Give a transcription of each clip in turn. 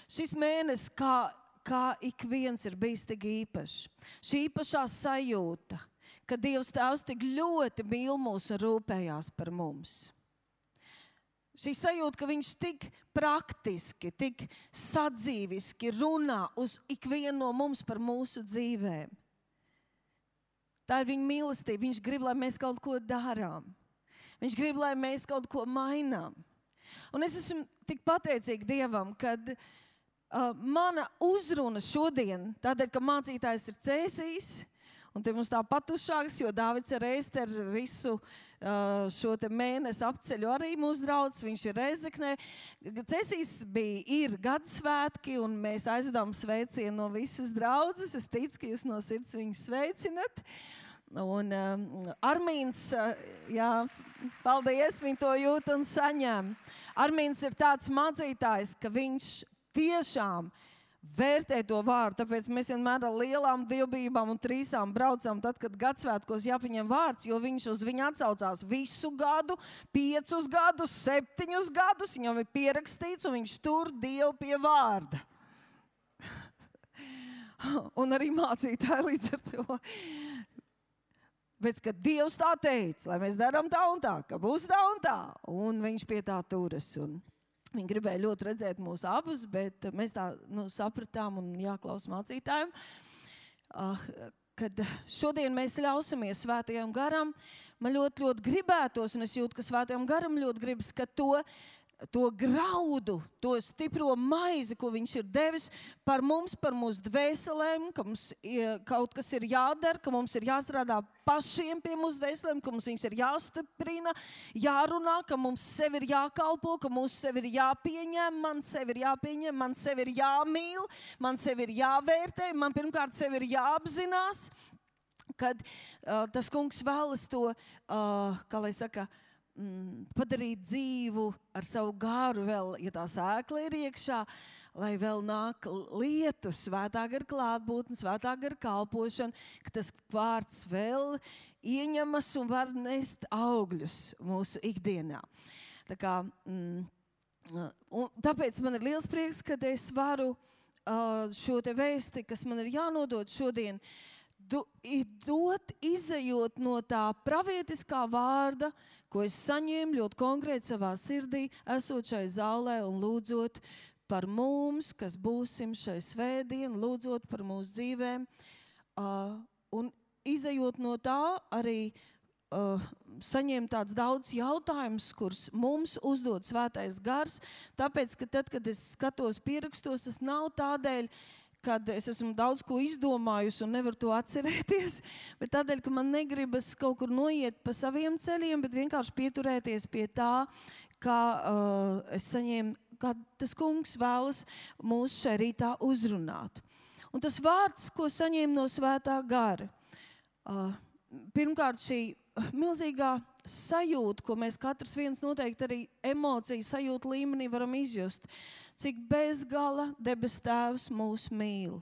Šis mēnesis, kā ik viens ir bijis tik īpašs. Šī īpašā sajūta, ka Dievs Tēvs tik ļoti mīl mūs un rūpējās par mums. Šī sajūta, ka viņš tik praktiski, tik sadzīviski runā uz ikvienu no mums par mūsu dzīvēm. Tā ir viņa mīlestība. Viņš grib, lai mēs kaut ko darām. Viņš grib, lai mēs kaut ko mainām. Un es esmu tik pateicīga Dievam, kad mana uzruna šodien, tādēļ, ka mācītājs ir Cēsijs, un te mums tā patušāks, jo Dāvids ar Ēsteru visu šo te mēnesi apceļu arī mūsu draudz, viņš ir Rezeknē. Cēsijs ir gadasvētki, un mēs aizdām sveicienu no visas draudzes. Es ticu, ka jūs no sirds viņu sveicinat. Un Armīns, jā, paldies, viņi to jūt un saņem. Armīns ir tāds mācītājs, ka viņš tiešām vērtē to vārdu, tāpēc mēs vienmēr ar lielām dievbijībām un trīsām braucam tad, kad gadsvētkos jāpaņem vārds, jo viņš uz viņu atsaucās visu gadu, 5 gadus, 7 gadus, viņam ir pierakstīts un viņš tur Dievu pie vārda. Un arī mācītāji līdz ar to. Bet, kad Dievs tā teica, lai mēs darām tā un tā, ka būs tā un tā, un viņš pie tā turas. Un viņi gribēja ļoti redzēt mūs abus, bet mēs tā sapratām un jāklaus mācītājiem, kad šodien mēs ļausimies Svētajam garam. Man ļoti gribētos, un es jūtu, ka Svētajam garam ļoti gribas, ka to graudu, to stipro maizi, ko viņš ir devis par mums, par mūsu dvēselēm, ka mums kaut kas ir jādara, ka mums ir jāstrādā pašiem pie mūsu dvēselēm, ka mums viņas ir jāstiprina, jārunā, ka mums sevi ir jākalpo, ka mums sevi ir jāpieņem, man sevi ir jāmīl, man sevi ir jāvērtē, man pirmkārt sevi ir jāapzinās, kad tas kungs vēlas to, kā lai saka, padarīt dzīvu ar savu garu vēl, ja tā sēkla ir iekšā, lai vēl nāk lietu, svētā gara klātbūtne, svētā gara kalpošana, ka tas vārds vēl ieņemas un var nest augļus mūsu ikdienā. Tā kā, un tāpēc man ir liels prieks, kad es varu šo te vēsti, kas man ir jānodod šodien, izejot no tā pravietiskā vārda, ko es saņēmu ļoti konkrēti savā sirdī, esot šai zālē un lūdzot par mums, kas būsim šai svētdien, lūdzot par mūsu dzīvēm. Un izejot no tā arī saņēmu tāds daudz jautājumus, kurus mums uzdod Svētais gars, tāpēc, ka tad, kad es skatos pierakstos, tas nav tādēļ, kad es esmu daudz ko izdomājusi un nevaru to atcerēties, bet tādēļ, ka man negribas kaut kur noiet pa saviem ceļiem, bet vienkārši pieturēties pie tā, kā es saņēmu, kā tas kungs vēlas mūs šai rītā uzrunāt. Un tas vārds, ko saņēmu no Svētā gara, pirmkārt šī milzīgā sajūta, ko mēs katrs viens noteikti arī emociju sajūta līmenī varam izjust, cik bezgala debes Tēvs mūs mīl.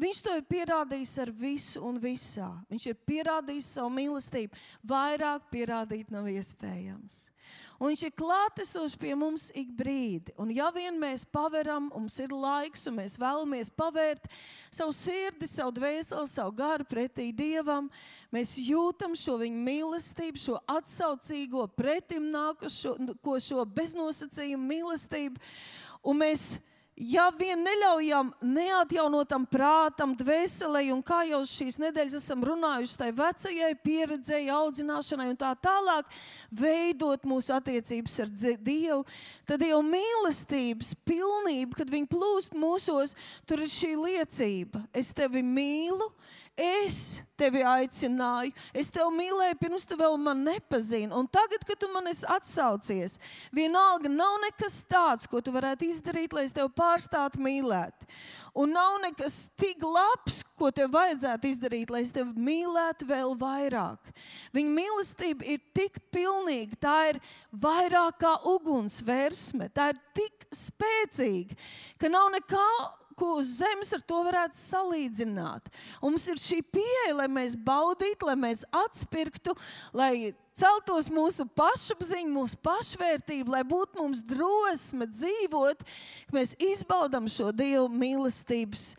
Viņš to ir pierādījis ar visu un visā. Viņš ir pierādījis savu mīlestību. Vairāk pierādīt nav iespējams. Un viņš ir klātesošs pie mums ik brīdi. Un ja vien mēs paveram, mums ir laiks un mēs vēlamies pavērt savu sirdi, savu dvēseli, savu garu pretī Dievam, mēs jūtam šo viņa mīlestību, šo atsaucīgo pretim nākušo, šo beznosacījumu mīlestību. Un mēs, ja vien neļaujam neatjaunotam prātam, dvēselei, un kā jau šīs nedēļas esam runājuši, tai vecajai pieredzēji, audzināšanai un tā tālāk, veidot mūsu attiecības ar Dievu, tad jau mīlestības pilnība, kad viņi plūst mūsos, tur ir šī liecība. Es tevi mīlu, es tevi aicināju, es tevi mīlēju, pirms tu vēl man nepazini. Un tagad, kad tu man esi atsaucies, vienalga nav nekas tāds, ko tu varētu izdarīt, lai es tevi pārstātu mīlēt. Un nav nekas tik labs, ko tev vajadzētu izdarīt, lai es tevi mīlētu vēl vairāk. Viņa mīlestība ir tik pilnīga, tā ir vairāk kā uguns versme, tā ir tik spēcīga, ka nav nekā, ko uz zemes ar to varētu salīdzināt. Un mums ir šī pieeja, lai mēs baudītu, lai mēs atspirktu, lai celtos mūsu pašapziņa, mūsu pašvērtība, lai būtu mums drosme dzīvot, ka mēs izbaudam šo Dievu mīlestības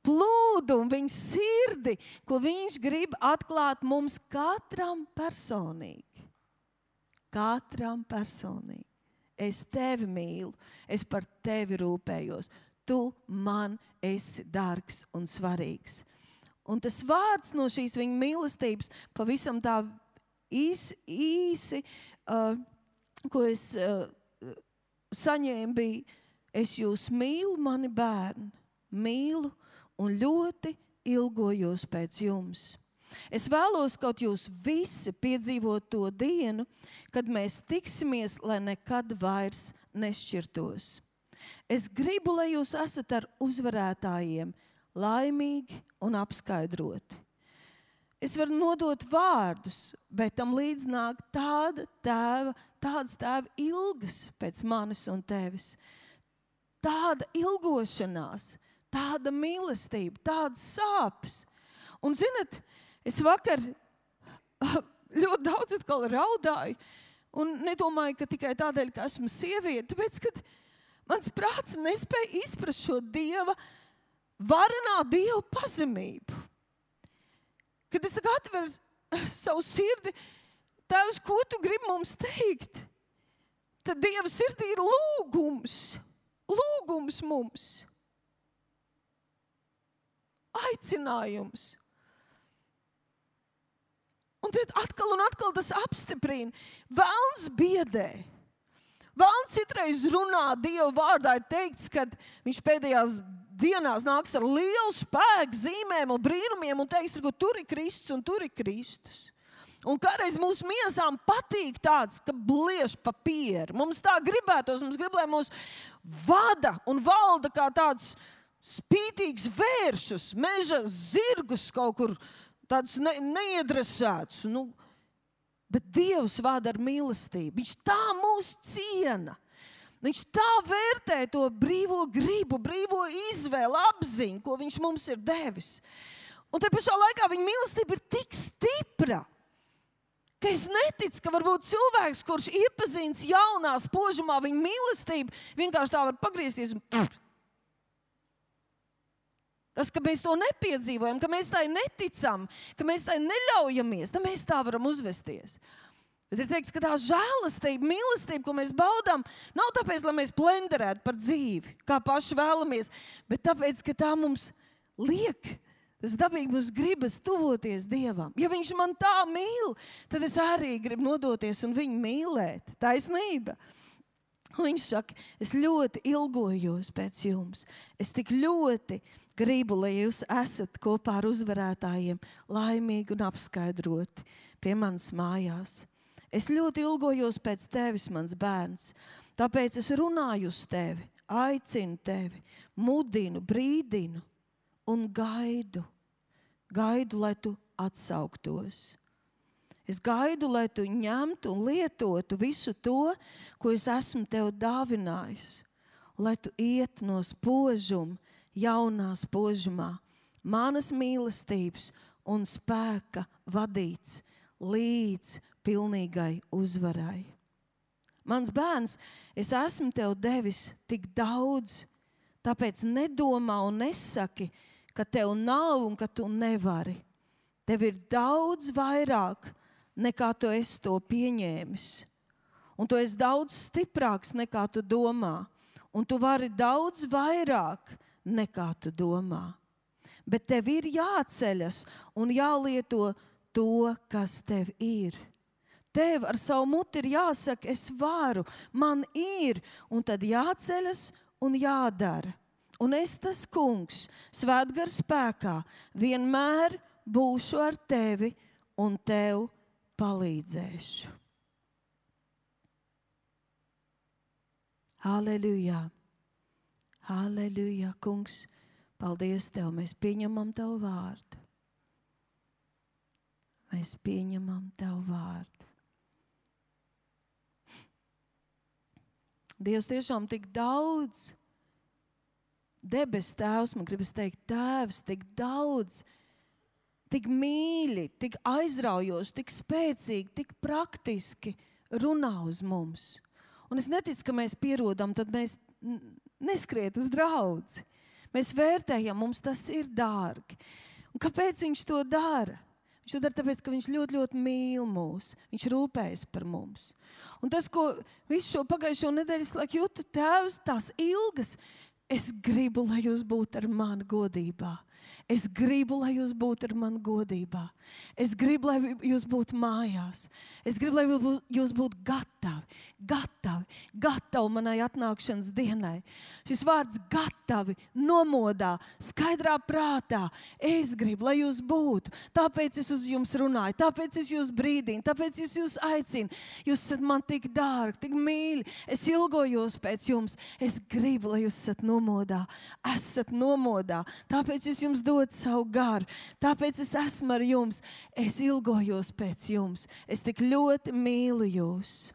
plūdu un viņa sirdi, ko viņš grib atklāt mums katram personīgi. Katram personīgi. Es tevi mīlu, es par tevi rūpējos. Tu man esi dārgs un svarīgs. Un tas vārds no šīs viņa mīlestības pavisam tā īsi, ko es saņēmu, bija: es jūs mīlu, mani bērni, mīlu un ļoti ilgojos pēc jums. Es vēlos, kaut jūs visi piedzīvot to dienu, kad mēs tiksimies, lai nekad vairs nešķirtos. Es gribu, lai jūs esat ar uzvarētājiem, laimīgi un apskaidroti. Es varu nodot vārdus, bet tam līdz nāk tādas tēva ilgas pēc manis un tevis. Tāda ilgošanās, tāda mīlestība, tādas sāpes. Un zinat, es vakar ļoti daudz atkal raudāju un nedomāju, ka tikai tādēļ, ka esmu sieviete, tāpēc, ka mans prāts nespēja izprast šo Dieva, varenā Dieva pazemību. Kad es tagad atveru savu sirdi, Tēvs, ko tu gribi mums teikt? Tad Dieva sirdī ir lūgums mums. Aicinājums. Un tad atkal tas apstiprina. Velns biedē. Velns citreiz runā Dieva vārdā, ir teikts, ka viņš pēdējās dienās nāks ar lielu spēku, zīmēm un brīnumiem un teiks, ka tur ir Kristus un tur ir Kristus. Un kādreiz mūsu miesām patīk tāds, ka bliež papīri. Mums tā gribētos, mums grib, lai mūs vada un valda kā tāds spītīgs vēršus, meža zirgus kaut kur tādus neiedresētus. Bet Dievs vada ar mīlestību. Viņš tā mūs ciena. Viņš tā vērtē to brīvo gribu, brīvo izvēli, apziņu, ko viņš mums ir devis. Un te pašā laikā viņa mīlestība ir tik stipra, ka es neticu, ka varbūt cilvēks, kurš iepazīstas jaunā spožumā viņa mīlestību, vienkārši tā var pagriezties un tas, ka mēs to nepiedzīvojam, ka mēs tai neticam, ka mēs tai neļaujamies, tad mēs tā varam uzvesties. Bet ir teikts, ka tā žēlastība, mīlestība, ko mēs baudām, nav tāpēc, lai mēs plenderētu par dzīvi, kā paši vēlamies, bet tāpēc, ka tā mums liek, tas dabīgi mums gribas tuvoties Dievam. Ja viņš man tā mīl, tad es arī gribu nodoties un viņu mīlēt. Taisnība. Un viņš saka, es ļoti ilgojos pēc jums. Es tik ļoti gribu, lai jūs esat kopā ar uzvarētājiem laimīgi un apskaidroti pie manas mājās. Es ļoti ilgojos pēc tevis, mans bērns. Tāpēc es runāju uz tevi, aicinu tevi, mudinu, brīdinu un gaidu. Gaidu, lai tu atsauktos. Es gaidu, lai tu ņemtu un lietotu visu to, ko es esmu tev dāvinājis. Lai tu iet no spožuma, jaunā spožumā, manas mīlestības un spēka vadīts līdz pilnīgai uzvarai. Mans bērns, es esmu tev devis tik daudz, tāpēc nedomā un nesaki, ka tev nav un ka tu nevari. Tev ir daudz vairāk, nekā tu esi to pieņēmis. Un tu esi daudz stiprāks, nekā tu domā. Un tu vari daudz vairāk, nekā tu domā. Bet tev ir jāceļas un jālieto to, kas tev ir. Tev ar savu muti ir jāsaka, es varu, man ir, un tad jāceļas un jādara. Un es, tas kungs, svētgara spēkā, vienmēr būšu ar tevi un tev palīdzēšu. Halleluja! Halleluja, kungs! Paldies tev! Mēs pieņemam tavu vārdu. Mēs pieņemam tavu vārdu. Dievs tiešām tik daudz, debes tēvs, man gribas teikt, tēvs, tik daudz tik mīļi, tik aizraujoši, tik spēcīgi, tik praktiski runā uz mums. Un es neticu, ka mēs pierodam, tad mēs neskriet uz draudzi. Mēs vērtējam, mums tas ir dārgi. Un kāpēc viņš to dara? Viņš to dara tāpēc, ka viņš ļoti, ļoti mīl mūs. Viņš rūpējas par mums. Un tas, ko visu šo pagājušo nedēļu laik jūtu, Tēvs, tās ilgas, es gribu, lai jūs būtu ar mani godībā. Es gribu, lai jūs būtu ar mani godībā. Es gribu, lai jūs būtu mājās. Es gribu, lai jūs būtu gatavi manai atnākšanas dienai. Šis vārds gatavi, nomodā, skaidrā prātā. Es gribu, lai jūs būtu. Tāpēc es uz jums runāju, tāpēc es jūs brīdinu, tāpēc es jūs aicinu. Jūs esat man tik dārgi, tik mīļi. Es ilgojos pēc jums. Es gribu, lai jūs esat nomodā. Esat nomodā. Tāpēc es jums dodu savu garu. Tāpēc es esmu ar jums. Es ilgojos pēc jums. Es tik ļoti mīlu jūs.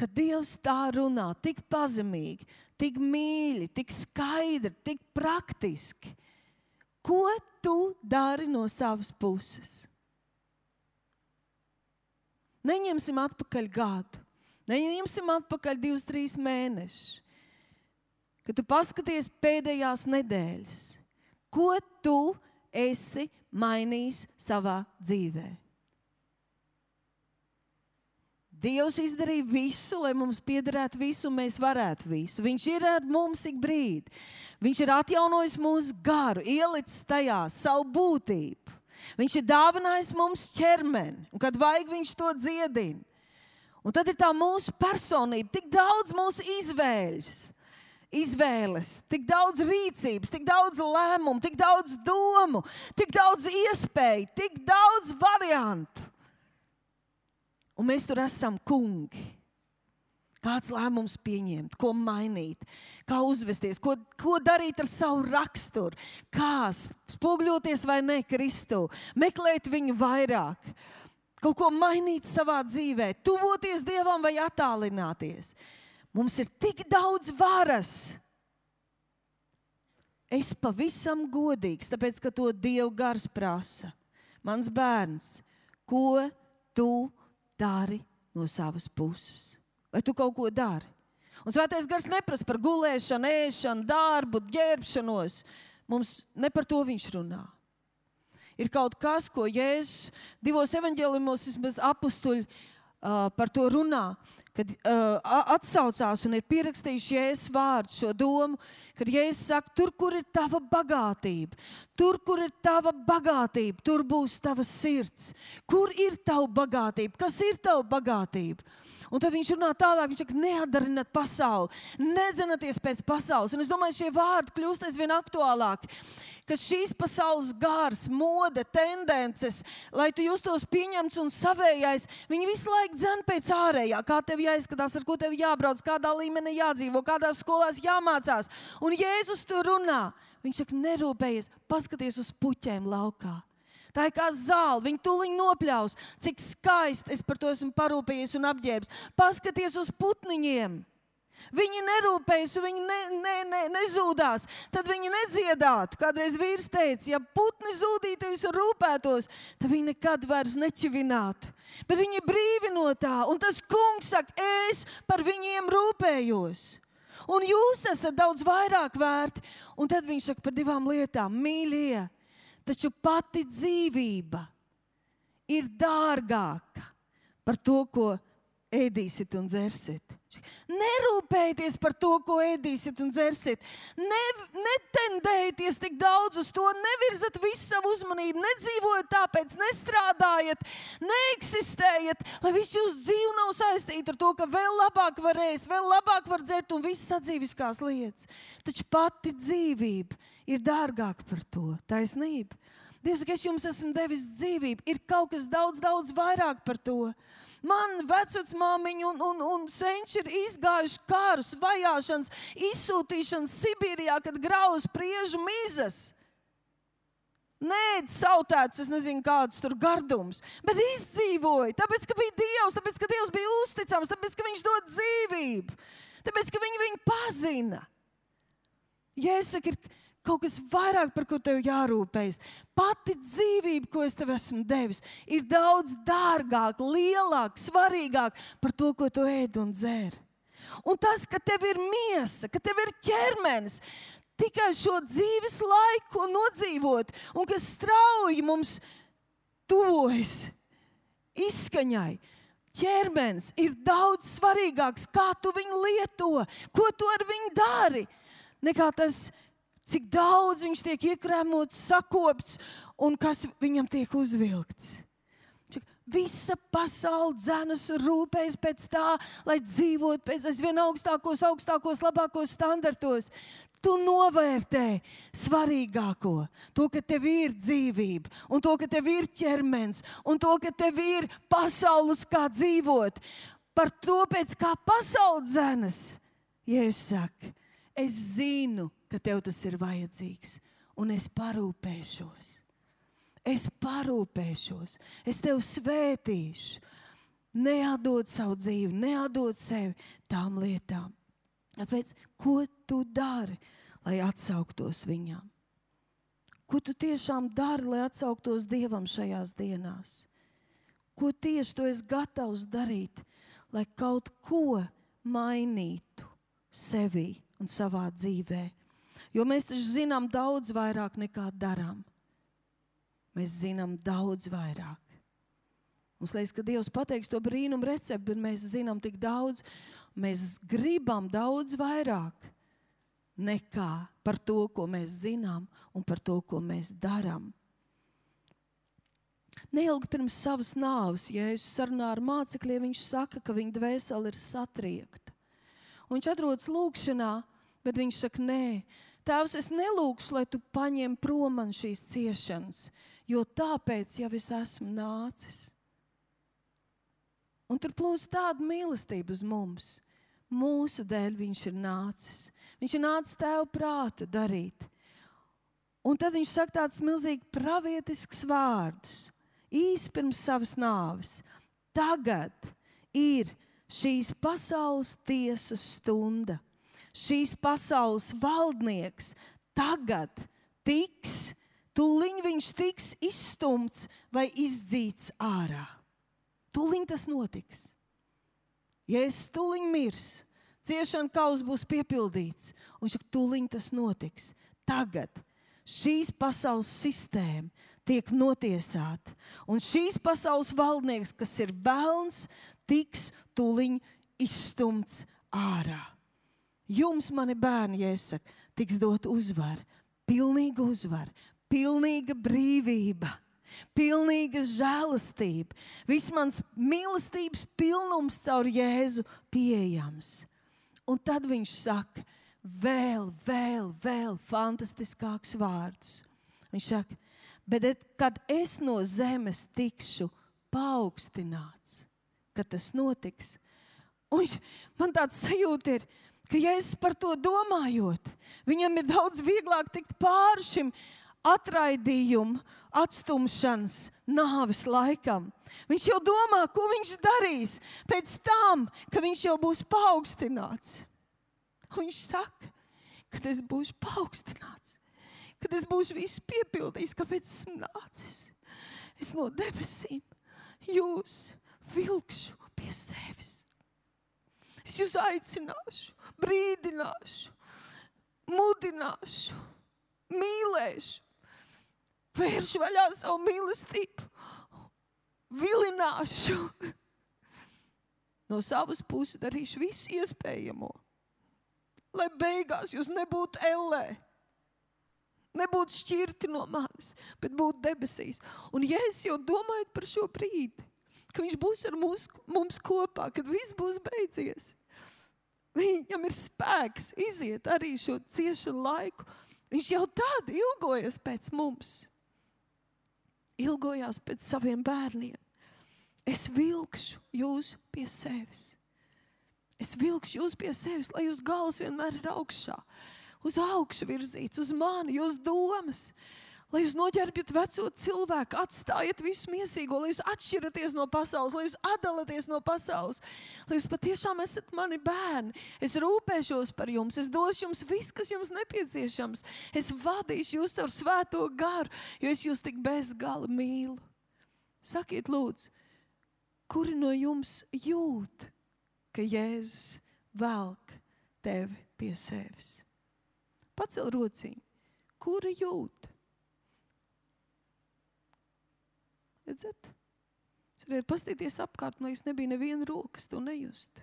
Kad Dievs tā runā, tik pazemīgi, tik mīļi, tik skaidri, tik praktiski, ko tu dari no savas puses? Neņemsim atpakaļ gadu. Neņemsim atpakaļ 2-3 mēnešus. Kad tu paskaties pēdējās nedēļas, ko tu esi mainījis savā dzīvē? Dievs izdarīja visu, lai mums piederētu visu, un mēs varētu visu. Viņš ir ar mums ik brīdi. Viņš ir atjaunojis mūsu garu, ielicis tajā savu būtību. Viņš ir dāvinājis mums ķermeni, un kad vajag, viņš to dziedina. Un tad ir tā mūsu personība, tik daudz mūsu izvēles, tik daudz rīcības, tik daudz lēmumu, tik daudz domu, tik daudz iespēju, tik daudz variantu. Un mēs tur esam kungi. Kāds lēmums pieņemt, ko mainīt, kā uzvesties, ko darīt ar savu raksturu, kā spoguļoties vai ne Kristu, meklēt viņu vairāk, kaut ko mainīt savā dzīvē, tuvoties Dievam vai attālināties. Mums ir tik daudz varas. Es pavisam godīgs, tāpēc, ka to Dieva gars prasa. Mans bērns, ko tu dari no savas puses? Vai tu kaut ko dari? Un Svētais gars neprasa par gulēšanu, ēšanu, darbu, ģērbšanos. Mums ne par to viņš runā. Ir kaut kas, ko Jēzus 2 evaņģēlijumos vismaz apustuļi par to runā, kad atsaucās un ir pierakstījuši Jēzus vārdu, šo domu, kad Jēzus saka, tur, kur ir tava bagātība, tur būs tava sirds. Kur ir tava bagātība? Kas ir tava bagātība? Un tad viņš runā tālāk, viņš saka, neatdarināt pasauli, nedzenaties pēc pasaules. Un es domāju, šie vārdi kļūst aizvien aktuālāki, ka šīs pasaules gars, mode, tendences, lai tu justos pieņemts un savējais, viņi visu laiku dzen pēc ārējā, kā tev jāizskatās, ar ko tev jābrauc, kādā līmenī jādzīvo, kādās skolās jāmācās. Un Jēzus tur runā. Viņš saka, nerūpējies, paskaties uz puķēm laukā. Tā ir kā zāle, viņi tūliņ nopļaus, cik skaisti es par to esmu parūpējies un apģērbs. Paskaties uz putniņiem. Viņi nerūpējas, viņi nezūdās, tad viņi nedziedātu. Kādreiz vīrs teica, ja putni zūdītos un rūpētos, tad viņi nekad vairs nečivinātu. Bet viņi brīvi no tā, un tas kungs saka, es par viņiem rūpējos. Un jūs esat daudz vairāk vērti. Un tad viņš saka par 2 lietām, mīļie. Taču pati dzīvība ir dārgāka par to, ko ēdīsit un dzersit. Nerūpējieties par to, ko ēdīsit un dzersit. Netendējieties tik daudz uz to, nevirzat visu savu uzmanību, nedzīvojat tāpēc, nestrādājat, neeksistējat, lai visu jūsu dzīvi nav saistīta ar to, ka vēl labāk var ēst, vēl labāk var dzert un visas sadzīviskās lietas. Taču pati dzīvība ir dārgāka par to, taisnība. Dievs saka, es jums esmu devis dzīvību, ir kaut kas daudz, daudz vairāk par to. Man vecvecmāmiņa un senči ir izgājuši karus, vajāšanas, izsūtīšanas Sibīrijā, kad grauž priežu mizas. Nēd sautēts, es nezinu kādus tur gardums, bet izdzīvoja, tāpēc, ka bija Dievs, tāpēc, ka Dievs bija uzticams, tāpēc, ka viņš dod dzīvību, tāpēc, ka viņu pazina. Jēzus saka, ir kaut kas vairāk, par ko tev jārūpējas. Pati dzīvība, ko es tev esmu devis, ir daudz dārgāk, lielāk, svarīgāk par to, ko tu ēd un dzer. Un tas, ka tev ir miesa, ka tev ir ķermenis, tikai šo dzīves laiku nodzīvot, un kas strauji mums tuvojas izskaņai. Ķermenis ir daudz svarīgāks, kā tu viņu lieto, ko tu ar viņu dari, nekā tas, cik daudz viņš tiek iekrēmots, sakopts un kas viņam tiek uzvilkts. Visa pasaule dzenas un rūpējas pēc tā, lai dzīvot pēc aizvien augstākos, labākos standartos. Tu novērtē svarīgāko, to, ka tev ir dzīvība, un to, ka tev ir ķermenis, un to, ka tev ir pasaules kā dzīvot. Par to, pēc kā pasaule dzenas, Jēzus saka, es zinu, ka tev tas ir vajadzīgs, un es parūpēšos. Es tev svētīšu. Neatdod savu dzīvi, neatdod sevi tām lietām. Tāpēc, ko tu dari, lai atsauktos viņam? Ko tu tiešām dari, lai atsauktos Dievam šajās dienās? Ko tieši tu esi gatavs darīt, lai kaut ko mainītu sevī un savā dzīvē? Jo mēs taču zinām daudz vairāk nekā darām. Mēs zinām daudz vairāk. Mums liekas, ka Dievs pateiks to brīnumu recepti, bet mēs zinām tik daudz. Mēs gribam daudz vairāk nekā par to, ko mēs zinām un par to, ko mēs darām. Neilgi pirms savas nāves, Jēzus sarunā ar mācekļiem, viņš saka, ka viņa dvēsele ir satriekta. Un viņš atrodas lūkšanā, bet viņš saka, nē, Tēvs, es nelūkšu, lai tu paņem prom man šīs ciešanas, jo tāpēc jau es esmu nācis. Un tur plūst tāda mīlestība uz mums. Mūsu dēļ viņš ir nācis. Viņš ir nācis Tēva prātu darīt. Un tad viņš saka tāds milzīgi pravietisks vārdus, īsi pirms savas nāves. Tagad ir šīs pasaules tiesas stunda. Šīs pasaules valdnieks tagad tūliņ viņš tiks izstumts vai izdzīts ārā. Tūliņ tas notiks. Jēzus tūliņ mirs, ciešana kauls būs piepildīts, un tūliņ tas notiks. Tagad šīs pasaules sistēma tiek notiesāta, un šīs pasaules valdnieks, kas ir velns, tiks tūliņ izstumts ārā. Jums, mani bērni, Jēzus saka, tiks dot uzvara, pilnīga uzvara, pilnīga brīvība, pilnīga žēlastība. Viss mans mīlestības pilnums caur Jēzu pieejams. Un tad viņš saka vēl fantastiskāks vārdus. Viņš saka, bet kad es no zemes tikšu paaugstināts, kad tas notiks, un man tāds sajūta ir, ka Jēzus par to domājot, viņam ir daudz vieglāk tikt pāri šim atraidījumu, atstumšanas, nāves laikam. Viņš jau domā, ko viņš darīs pēc tam, ka viņš jau būs paaugstināts. Un viņš saka, kad es būšu paaugstināts, kad es būšu visu piepildījis, kāpēc esmu nācis. Es no debesīm jūs vilkšu pie sevis. Es jūs aicināšu, brīdināšu, mudināšu, mīlēšu, vēršu vaļā savu mīlestību, vilināšu. No savas puses darīšu visu iespējamo, lai beigās jūs nebūtu ellē, nebūtu šķirti no manis, bet būtu debesīs. Un ja es jau domāju par šo brīdi, ka viņš būs ar mums kopā, kad viss būs beidzies. Viņam ir spēks iziet arī šo ciešanu laiku. Viņš jau tad ilgojas pēc mums. Ilgojās pēc saviem bērniem. Es vilkšu jūs pie sevis. Es vilkšu jūs pie sevis, lai jūs galvas vienmēr ir augšā. Uz augšu virzīts, uz mani, jūs domas. Lai jūs noģērbjat veco cilvēku, atstājiet visu miesīgo, lai jūs atšķiraties no pasaules, lai jūs atdalaties no pasaules, lai jūs patiešām esat mani bērni. Es rūpēšos par jums, es došu jums viss, kas jums nepieciešams. Es vadīšu jūs ar svēto garu, jo es jūs tik bezgala mīlu. Sakiet, lūdzu, kuri no jums jūt, ka Jēzus velk tevi pie sevis? Pacel rociņu. Kuri jūt? Redzat? Jūs varat pastīties apkārt, lai es nebija neviena rokas to nejust.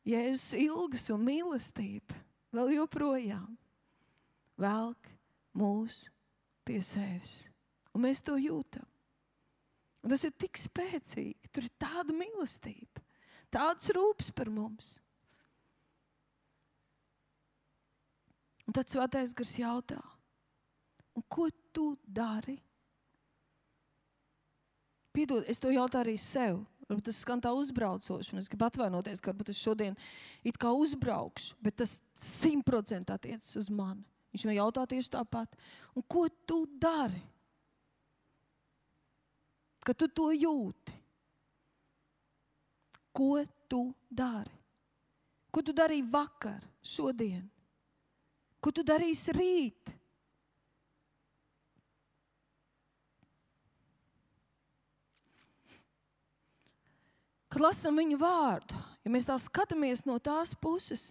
Jēzus ilgas un mīlestība vēl joprojām velk mūs pie sevis. Un mēs to jūtam. Un tas ir tik spēcīgi. Tur ir tāda mīlestība, tāds rūpes par mums. Un tad Svētais Gars jautā, un ko tu dari? Piedod, es to jautāju arī sev. Varbūt tas skan tā uzbraucoši, un es gribu atvainoties, ka varbūt es šodien it kā uzbraukšu, bet tas 100% attiecas uz mani. Viņš man jautā tieši tāpat. Un ko tu dari? Kad tu to jūti? Ko tu dari? Ko tu darīji vakar, šodien? Ko tu darīsi rīt? Kad lasam viņu vārdu, ja mēs tā skatāmies no tās puses,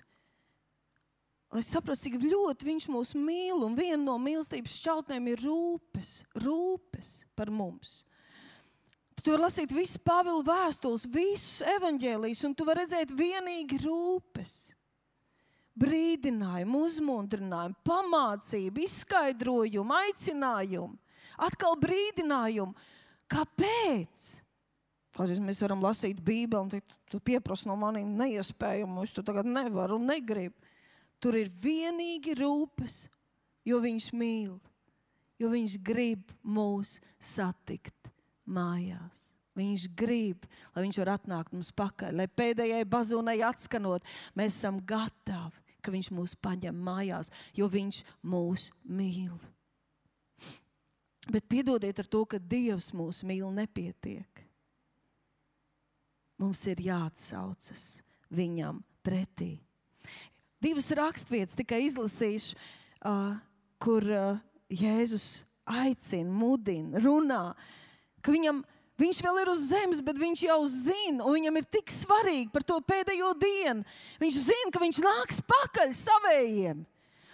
lai saprastu, cik ļoti viņš mūs mīl, un viena no mīlestības šķautnēm ir rūpes par mums. Tu vari lasīt visu Pāvila vēstules, visus evaņģēlijus, un tu vari redzēt vienīgi rūpes. Brīdinājumu, uzmundrinājumu, pamācību, izskaidrojumu, aicinājumu, atkal brīdinājumu. Kāpēc? Kādreiz mēs varam lasīt Bībeli, un tu pieprasi no maniem neiespējumu, es to tagad nevaru un negribu. Tur ir vienīgi rūpes, jo viņš mīl, jo viņš grib mūs satikt mājās. Viņš grib, lai viņš var atnākt mums pakaļ, lai pēdējai bazūnai atskanot, mēs esam gatavi, ka viņš mūs paņem mājās, jo viņš mūs mīl. Bet piedodiet ar to, ka Dievs mūs mīl, nepietiek. Mums ir jāatsaucas viņam pretī. 2 rakstvietas tikai izlasīšu, kur Jēzus aicina, mudina, runā, ka viņš vēl ir uz zemes, bet viņš jau zina, un viņam ir tik svarīgi par to pēdējo dienu. Viņš zina, ka viņš nāks pakaļ savējiem.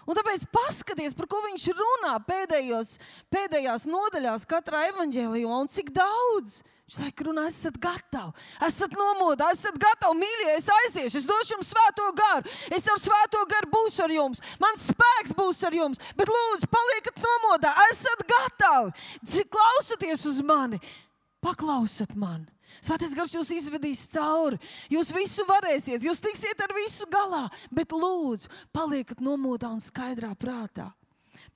Un tāpēc paskaties, par ko viņš runā pēdējās nodaļās katrā evaņģēlijumā, un cik daudz. Viņš laika runā, esat gatavi, esat nomodā, esat gatavi, mīļie, es aiziešu, es došu jums svēto garu, es ar svēto garu būšu ar jums, mans spēks būs ar jums, bet lūdzu, paliekat nomodā, esat gatavi, klausaties uz mani, paklausat mani. Svētais Gars jūs izvedīs cauri, jūs visu varēsiet, jūs tiksiet ar visu galā, bet lūdzu, paliekat nomodā un skaidrā prātā.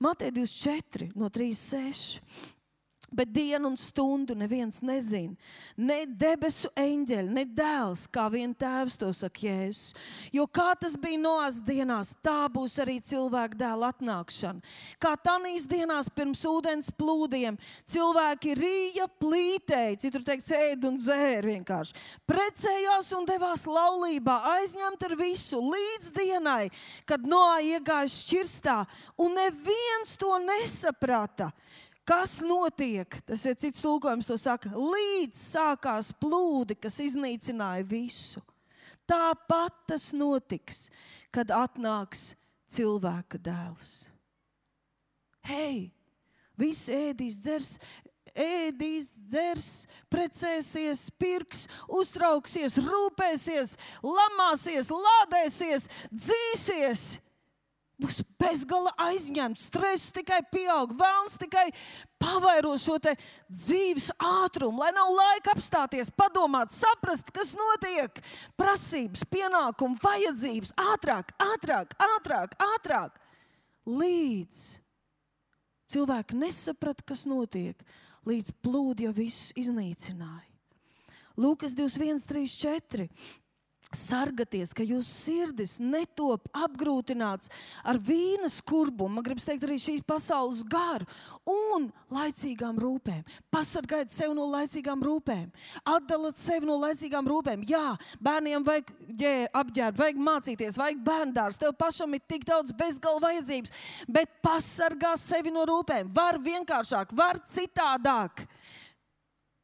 Mateja 24, no 3-6. Bet dienu un stundu neviens nezina, ne debesu eņģeļi, ne dēls, kā vien tēvs, to saka Jēzus. Jo kā tas bija Noās dienās, tā būs arī cilvēka dēla atnākšana. Kā tanīs dienās pirms ūdens plūdiem, cilvēki rīja, plītēja, citur teikt, ēd un dzēra vienkārši. Precējās un devās laulībā, aizņemt ar visu līdz dienai, kad Noā iegāja šķirstā, un neviens to nesaprata. Kas notiek? Tas ir cits tulkojums, to saka, līdz sākās plūdi, kas iznīcināja visu. Tāpat tas notiks, kad atnāks cilvēka dēls. Hei, visi ēdīs, dzers, precēsies, pirks, uztrauksies, rūpēsies, lamāsies, lādēsies, dzīsies. Būs bezgala aizņemts, stress tikai pieaug, vēlns tikai pavairo šo te dzīves ātrumu, lai nav laika apstāties, padomāt, saprast, kas notiek. Prasības, pienākumi, vajadzības, ātrāk. Līdz cilvēki nesaprata, kas notiek, līdz plūdi jau viss iznīcināja. Lūkas 21, 3, 4. Sargaties, ka jūsu sirdis netop apgrūtināts ar vīna skurbumu, man gribas teikt arī šīs pasaules garu un laicīgām rūpēm. Pasargājiet sevi no laicīgām rūpēm. Atdaliet sevi no laicīgām rūpēm. Jā, bērniem vajag apģērbt, vajag mācīties, vajag bērndārs. Tev pašam ir tik daudz bezgala vajadzības, bet pasargā sevi no rūpēm. Var vienkāršāk, var citādāk.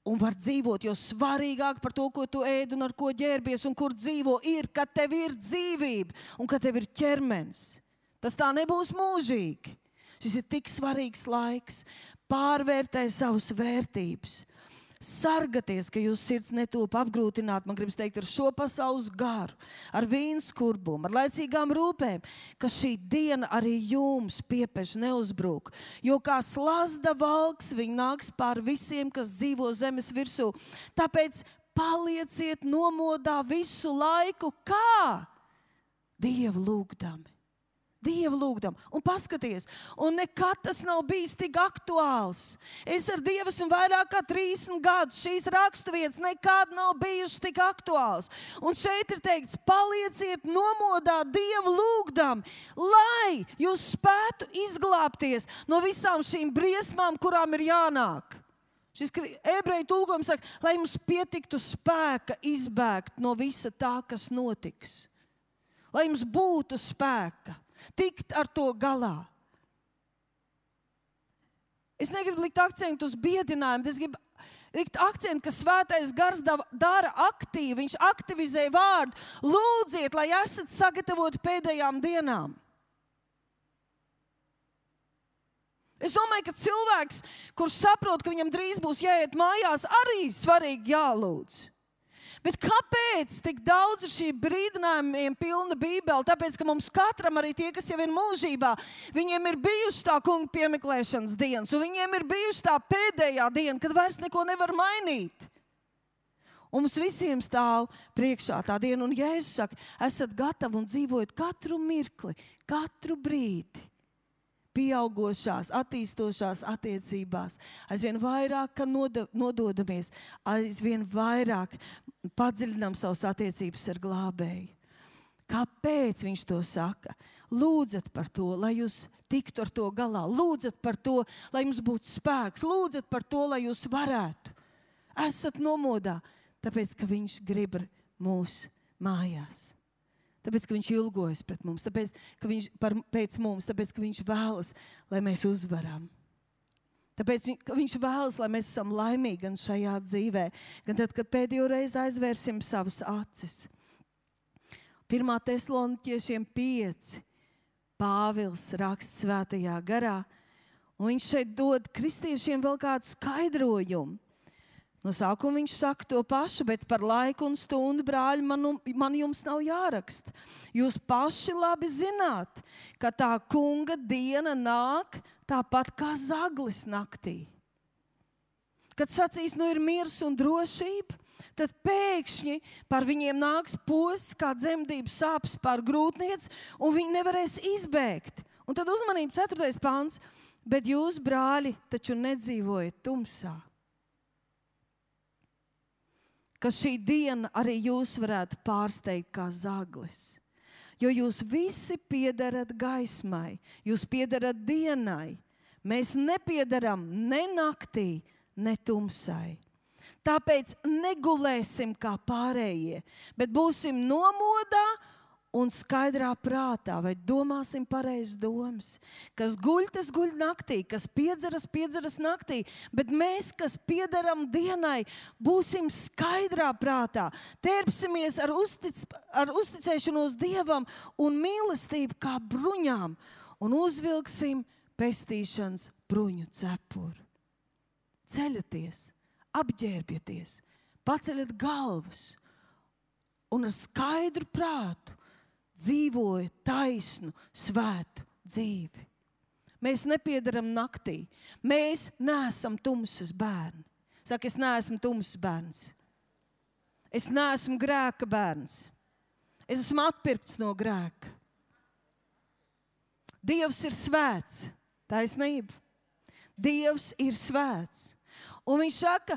Un var dzīvot, jo svarīgāk par to, ko tu ēd un ar ko ģērbies un kur dzīvo, ir, ka tev ir dzīvība un ka tev ir ķermenis. Tas tā nebūs mūžīgi. Šis ir tik svarīgs laiks. Pārvērtē savas vērtības. Sargaties, ka jūsu sirds netop apgrūtināt, man gribas teikt, ar šo pasaules garu, ar vīnu skurbumu, ar laicīgām rūpēm, ka šī diena arī jums piepeš neuzbrūk. Jo kā slazda valks, viņi nāks pār visiem, kas dzīvo zemes virsū. Tāpēc palieciet nomodā visu laiku, kā Dievu lūgdami. Dievu lūgdam. Un paskaties, un nekad tas nav bijis tik aktuāls. Es ar Dievu esmu vairāk kā 30 gadus. Šīs raksturvietas nekad nav bijušas tik aktuāls. Un šeit ir teikts, palieciet nomodā Dievu lūgdam, lai jūs spētu izglābties no visām šīm briesmām, kurām ir jānāk. Šis ebreju tulkojums saka, lai mums pietiktu spēka izbēgt no visa tā, kas notiks. Lai mums būtu spēka. Tikt ar to galā. Es negribu likt akcentu uz biedinājumu, bet es gribu likt akcentu, ka svētais gars dara aktīvi, viņš aktivizē vārdu. Lūdziet, lai esat sagatavoti pēdējām dienām. Es domāju, ka cilvēks, kurš saprot, ka viņam drīz būs jāiet mājās, arī svarīgi jālūdz. Bet kāpēc tik daudz ir šī brīdinājumiem pilna Bībele? Tāpēc, ka mums katram, arī tie, kas jau ir mūžībā, viņiem ir bijusi tā kunga piemeklēšanas dienas, un viņiem ir bijusi tā pēdējā diena, kad vairs neko nevar mainīt. Un mums visiem stāv priekšā tā diena, un Jēzus saka, esat gatavi un dzīvojat katru mirkli, katru brīdi. Pieaugošās, attīstošās attiecībās, aizvien vairāk nododamies, aizvien vairāk padziļinām savas attiecības ar glābēju. Kāpēc viņš to saka? Lūdzat par to, lai jūs tiktu ar to galā. Lūdzat par to, lai jums būtu spēks. Lūdzat par to, lai jūs varētu. Esat nomodā, tāpēc, ka viņš grib mūs mājās. Tāpēc, ka viņš ilgojas pret mums, tāpēc, ka pēc mums, tāpēc, ka viņš vēlas, lai mēs uzvaram. Tāpēc, ka viņš vēlas, lai mēs esam laimīgi gan šajā dzīvē, gan tad, kad pēdējo reizi aizvērsim savas acis. 1. Tesaloniķiešiem 5. Pāvils raksta svētajā garā, un viņš šeit dod kristiešiem vēl kādu skaidrojumu. No sākuma viņš saka to pašu, bet par laiku un stundu, brāļi, man jums nav jāraksta. Jūs paši labi zināt, ka tā kunga diena nāk tāpat kā zaglis naktī. Kad sacīs, nu ir miers un drošība, tad pēkšņi par viņiem nāks posts kā dzemdības sāpes pār grūtniec, un viņi nevarēs izbēgt. Un tad uzmanība 4. pants, bet jūs, brāļi, taču nedzīvojat tumsā. Ka šī diena arī jūs varētu pārsteigt kā zaglis. Jo jūs visi piederat gaismai, jūs piederat dienai. Mēs nepiedaram ne naktī, ne tumsai. Tāpēc negulēsim kā pārējie, bet būsim nomodā un skaidrā prātā, vai domāsim pareizas domas. Kas guļ, tas guļ naktī, kas piedzeras naktī, bet mēs, kas piederam dienai, būsim skaidrā prātā, tērpsimies ar uzticēšanos Dievam un mīlestību kā bruņām un uzvilksim pestīšanas bruņu cepuri. Ceļaties, apģērbieties, paceļat galvas un ar skaidru prātu dzīvoja taisnu, svētu dzīvi. Mēs nepiedaram naktī. Mēs neesam tumsas bērni. Saka, es neesmu tumsas bērns. Es neesmu grēka bērns. Es esmu atpirkts no grēka. Dievs ir svēts. Taisnība. Dievs ir svēts. Un viņš saka,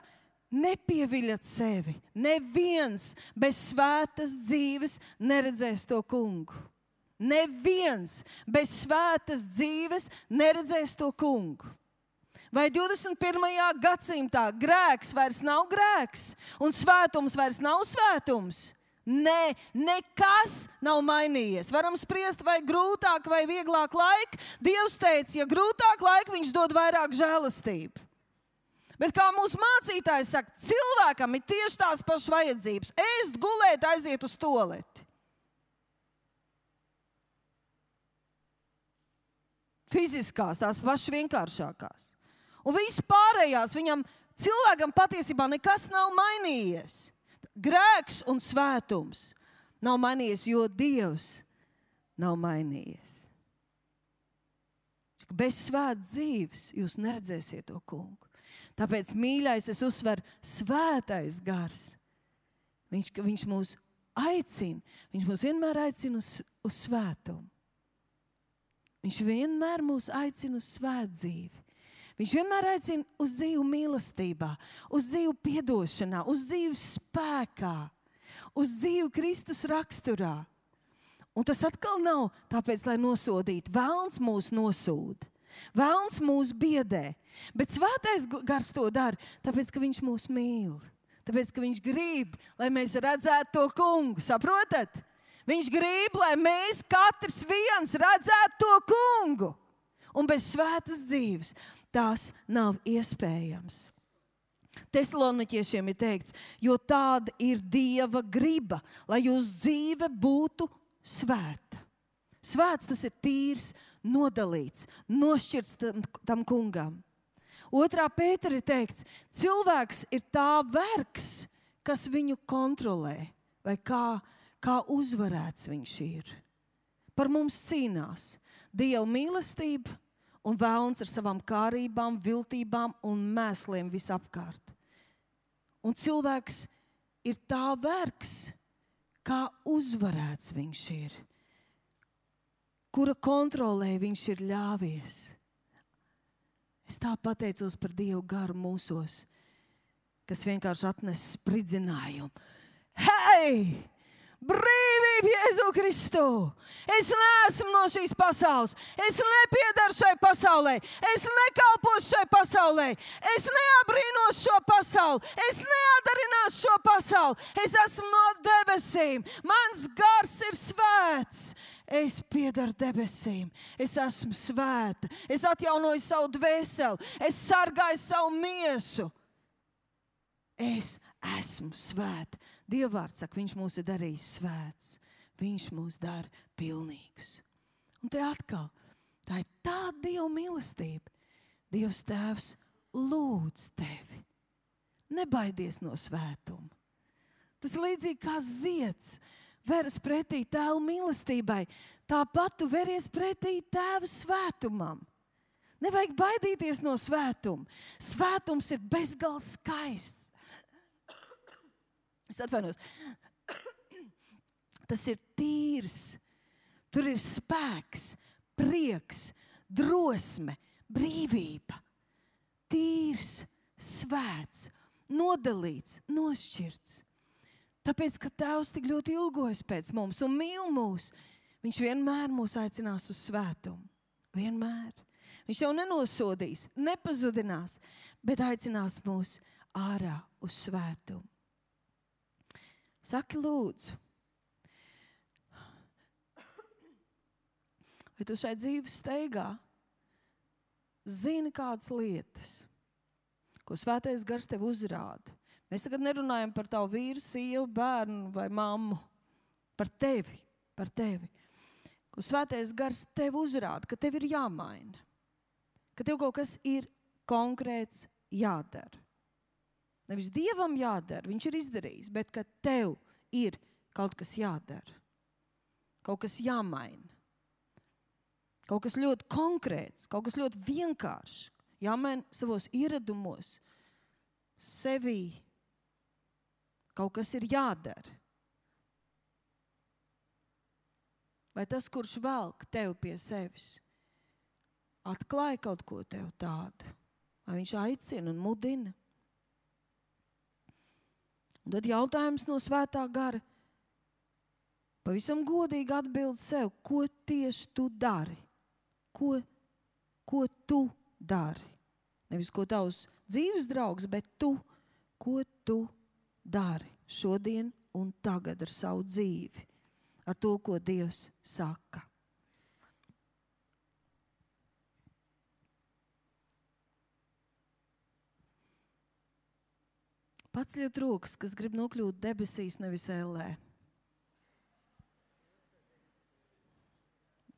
nepieviļat sevi. Neviens bez svētas dzīves neredzēs to kungu. Neviens bez svētas dzīves neredzēs to kungu. Vai 21. gadsimtā grēks vairs nav grēks un svētums vairs nav svētums? Nē, nekas nav mainījies. Varam spriest, vai grūtāk vai vieglāk laika. Dievs teica, ja grūtāk laika, viņš dod vairāk žēlastību. Bet kā mūsu mācītājs saka, cilvēkam ir tieši tās pašas vajadzības. Ēst, gulēt, aiziet uz tualeti. Fiziskās, tās pašas vienkāršākās. Un viss pārējās cilvēkam patiesībā nekas nav mainījies. Grēks un svētums nav mainījies, jo Dievs nav mainījies. Bez svētas dzīves jūs neredzēsiet to kungu. Tāpēc, mīļais, es uzsveru, svētais gars. Viņš mūs aicina, viņš mūs vienmēr aicina uz svētumu. Viņš vienmēr mūs aicina uz svētu dzīvi. Viņš vienmēr aicina uz dzīvu mīlestībā, uz dzīvu piedošanā, uz dzīvu spēkā, uz dzīvu Kristus raksturā. Un tas atkal nav tāpēc, lai nosodītu. Velns mūs nosūda. Velns mūs biedē. Bet svētais gars to dara, tāpēc, ka viņš mūs mīl. Tāpēc, ka viņš grib, lai mēs redzētu to kungu. Saprotat? Viņš grib, lai mēs katrs viens redzētu to kungu. Un bez svētas dzīves tās nav iespējams. Tesaloniķiešiem ir teikts, jo tāda ir Dieva griba, lai jūsu dzīve būtu svēta. Svēts tas ir tīrs, nodalīts, nošķirts tam kungam. 2. Pētera ir teikts, cilvēks ir tā vergs, kas viņu kontrolē, vai kā uzvarēts viņš ir. Par mums cīnās Dieva mīlestība un velns ar savām kārībām, viltībām un mēsliem visapkārt. Un cilvēks ir tā vergs, kā uzvarēts viņš ir, kura kontrolē viņš ir ļāvies. Es tā pateicos par Dievu garu mūsos, kas vienkārši atnes spridzinājumu. Hei! Brīvība Jēzu Kristu! Es neesmu no šīs pasaules. Es nepiedaru šai pasaulē. Es nekalpošu šai pasaulē. Es neabrīnos šo pasauli. Es neadarināšu šo pasauli. Es esmu no debesīm. Mans gars ir svēts. Es piedaru debesīm. Es esmu svēta. Es atjaunoju savu dvēseli. Es sargāju savu miesu. Es esmu svēta. Dievvvārds saka, viņš mūs ir darījis svēts. Viņš mūs dara pilnīgus. Un te atkal, tā ir tāda Dieva mīlestība. Dievs Tēvs lūdz tevi. Nebaidies no svētuma. Tas līdzīgi kā zieds veras pretī Tēva mīlestībai. Tāpat tu veries pretī Tēva svētumam. Nevajag baidīties no svētuma. Svētums ir bezgalīgi skaists. Es atvainos. Tas ir tīrs. Tur ir spēks, prieks, drosme, brīvība. Tīrs, svēts, nodalīts, nošķirts. Tāpēc, ka Tēvs tik ļoti ilgojas pēc mums un mīl mūs, viņš vienmēr mūs aicinās uz svētumu. Vienmēr. Viņš jau nenosodīs, nepazudinās, bet aicinās mūs ārā uz svētumu. Saki lūdzu, vai tu šai dzīves steigā zini kādas lietas, ko svētais gars tev uzrāda? Mēs tagad nerunājam par tavu vīru, sievu, bērnu vai mammu. Par tevi. Ko svētais gars tev uzrāda, ka tev ir jāmaina. Ka tev kaut kas ir konkrēts jādara. Nevis Dievam jādara, viņš ir izdarījis, bet ka tev ir kaut kas jādara. Kaut kas jāmaina. Kaut kas ļoti konkrēts, kaut kas ļoti vienkāršs. Jāmaina savos ieradumos, sevī. Kaut kas ir jādara. Vai tas, kurš velk tev pie sevis, atklāja kaut ko tev tādu? Vai viņš aicina un mudina? Un tad jautājums no svētā gara. Pavisam godīgi atbild sev, ko tieši tu dari? Ko tu dari? Nevis ko tavs dzīves draugs, bet tu, ko tu dari šodien un tagad ar savu dzīvi, ar to, ko Dievs saka. Paceļiet rokas, kas grib nokļūt debesīs, nevis ellē.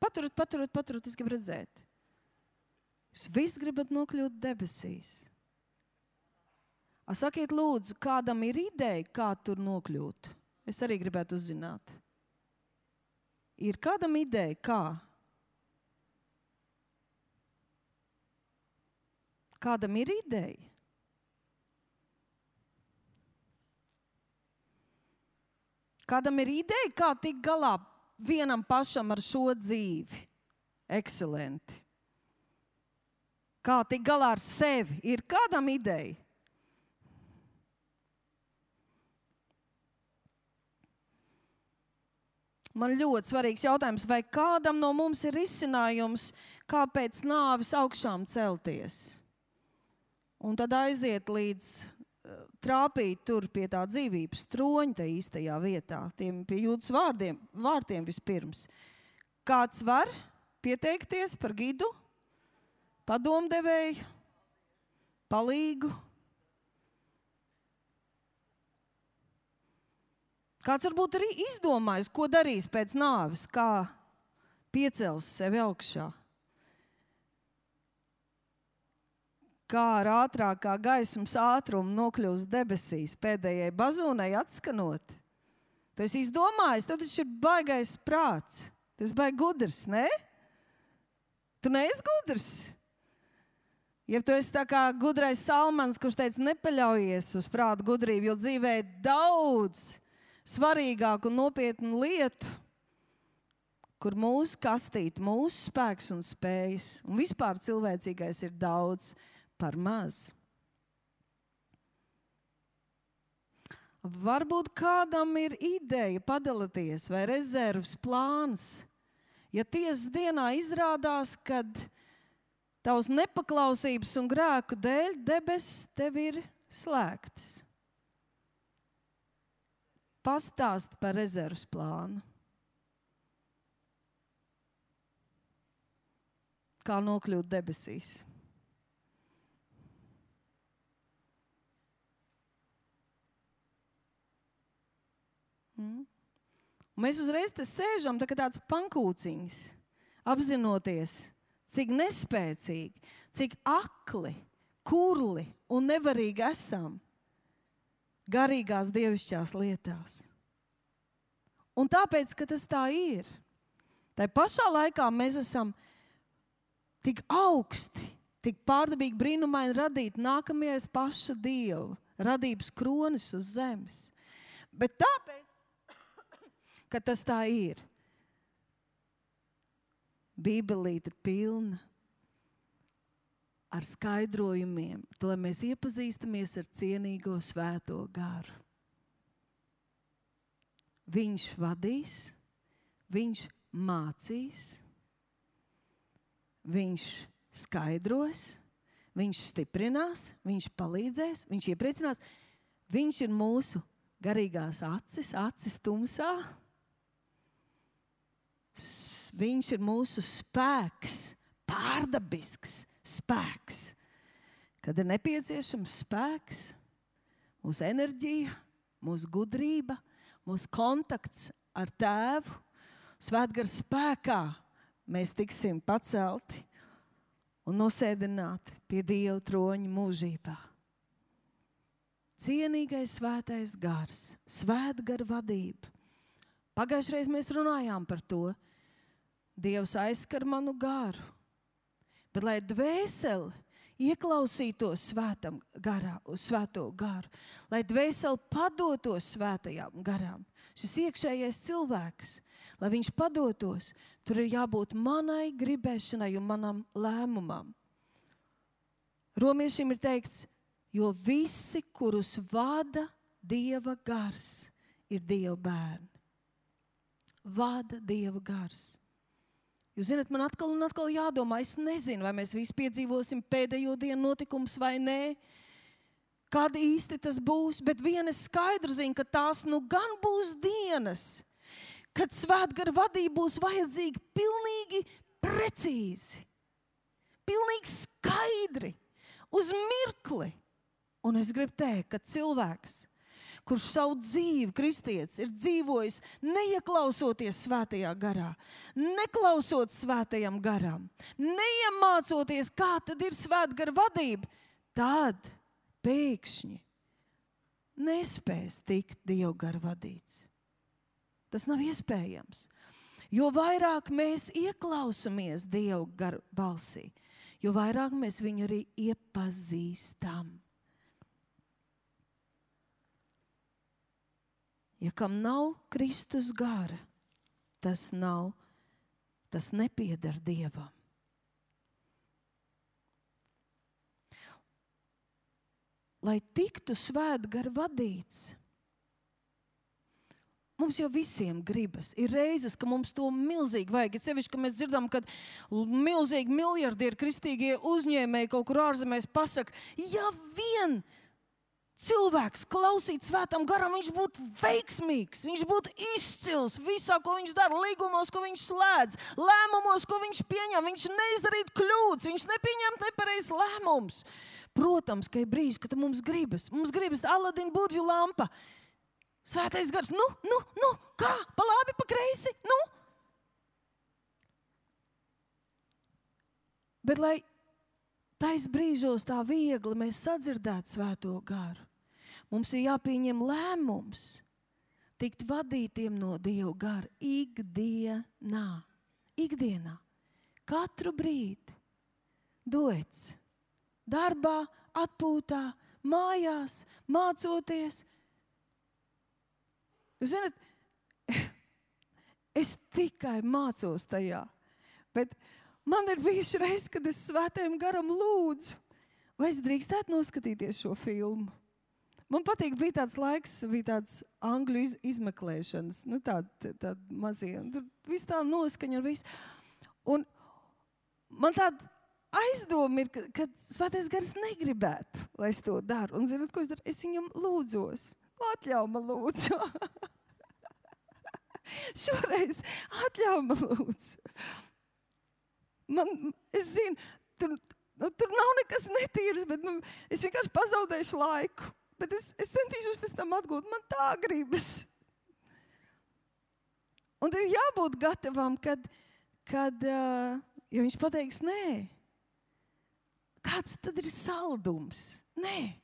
Paturiet, es gribu redzēt. Jūs visi gribat nokļūt debesīs. Sakiet lūdzu, kādam ir ideja, kā tur nokļūt? Es arī gribētu uzzināt. Ir kādam ideja, kā? Kādam ir ideja? Kādam ir ideja, kā tikt galā vienam pašam ar šo dzīvi? Ekscelenti. Kā tikt galā ar sevi? Ir kādam ideja? Man ļoti svarīgs jautājums, vai kādam no mums ir risinājums, kā pēc nāves augšām celties? Un tad aiziet līdz trāpīt tur pie tā dzīvības troņa, tā īstajā vietā, tiem pie Jūdas vārtiem vispirms. Kāds var pieteikties par gidu, padomdevēju, palīgu? Kāds varbūt arī izdomājis, ko darīs pēc nāves, kā piecels sevi augšā. Kā ar ātrākā gaismas ātrumu nokļūst debesīs, pēdējai bazūnai atskanot. Tu esi izdomājis, tad taču ir baigais prāts. Tu esi baigi gudrs, ne? Tu neesi gudrs. Ja tu esi tā kā gudrais Salmans, kurš teica, nepaļaujies uz prātu gudrību, jo dzīvē ir daudz svarīgāku un nopietnu lietu, kur mūsu kastīte, mūsu spēks un spējas, un vispār cilvēcīgais ir daudz par maz. Varbūt kādam ir ideja padalīties vai rezerves plāns. Ja tiesas dienā izrādās, kad tavs nepaklausības un grēku dēļ debesis tev ir slēgtas. Pastāst par rezerves plānu. Kā nokļūt debesīs. Mēs uzreiz te sēžam tā kā tāds pankūciņas, apzinoties, cik nespēcīgi, cik akli, kurli un nevarīgi esam garīgās dievišķās lietās. Un tāpēc, ka tas tā ir, tai pašā laikā mēs esam tik augsti, tik pārdabīgi brīnumaini radīti nākamajais paša Dieva radības kronis uz zemes. Bet tāpēc, ka tas tā ir, Bībelīte ir pilna ar skaidrojumiem, to, lai mēs iepazīstamies ar cienīgo svēto garu. Viņš vadīs, viņš mācīs, viņš skaidros, viņš stiprinās, viņš palīdzēs, viņš iepriecinās. Viņš ir mūsu garīgās acis tumsā. Viņš ir mūsu spēks, pārdabisks spēks. Kad ir nepieciešams spēks, mūsu enerģija, mūsu gudrība, mūsu kontakts ar Tēvu, Svētgara spēkā mēs tiksim pacelti un nosēdināti pie Dieva troņa mūžībā. Cienīgais svētais gars, Svētgara vadība. Pagājušreiz mēs runājām par to. Dievs aizskar manu garu, bet lai dvēseli ieklausītos svēto garu, lai dvēseli padotos svētajām garām, šis iekšējais cilvēks, lai viņš padotos, tur ir jābūt manai gribēšanai un manam lēmumam. Romiešiem ir teikts, jo visi, kurus vada Dieva gars ir Dieva bērni. Vada Dieva gars. Jūs zināt, man atkal un atkal jādomā, es nezinu, vai mēs visi piedzīvosim pēdējo dienu notikumus vai nē, kad īsti tas būs, bet viena skaidru zinu, ka tās nu gan būs dienas, kad svētgara vadība būs vajadzīga pilnīgi precīzi, pilnīgi skaidri, uz mirkli. Un es gribu teikt, ka cilvēks, kurš savu dzīvi, kristietis, ir dzīvojis neieklausoties svētajā garā, neklausot svētajam garam, neiemācoties, kā tad ir svētgara vadība, tad pēkšņi nespēs tikt Dievgara vadīts. Tas nav iespējams. Jo vairāk mēs ieklausamies Dievgara balsī, jo vairāk mēs viņu arī iepazīstam. Ja kam nav Kristus gara, tas nepieder Dievam. Lai tiktu svētgara vadīts, mums jau visiem gribas. Ir reizes, ka mums to milzīgi vajag. Ir sevišķi, ka mēs dzirdam, kad milzīgi miljardieri kristīgie uzņēmēji kaut kur ārzemēs pasaka, ja vien cilvēks klausīt svētam garam, viņš būtu veiksmīgs, viņš būtu izcils visā, ko viņš dara, līgumos, ko viņš slēdz, lēmumos, ko viņš pieņem, viņš neizdarītu kļūdas, viņš nepieņemt nepareizs lēmums. Protams, ka ir brīži, kad mums gribas Aladina burvju lampa. Svētais gars, kā? Pa labi, pa kreisi, Bet lai tais brīžos tā viegli mēs sadzirdētu svēto garu, mums ir jāpieņem lēmums tikt vadītiem no Dieva gara ikdienā, katru brīdi, dots, darbā, atpūtā, mājās, mācoties. Jūs zināt, es tikai mācos tajā, bet man ir bijuši reiz, kad es svētajam garam lūdzu, vai es drīkstētu noskatīties šo filmu. Man patīk, bija tāds laiks, bija tāds angļu izmeklēšanas, tāda mazie, tur viss tā noskaņa un viss. Un man tāda aizdoma ir, ka svētais gars negribētu, lai es to daru. Un zināt, ko es daru? Es viņam lūdzos. Atļauj man lūdzu. Šoreiz atļauj man lūdzu. Es zinu, tur nav nekas netīrs, bet es vienkārši pazaudēšu laiku. Bet es centīšos pēc tam atgūt. Man tā gribas. Un ir jābūt gatavam, kad ja viņš pateiks nē, kāds tad ir saldums? Nē.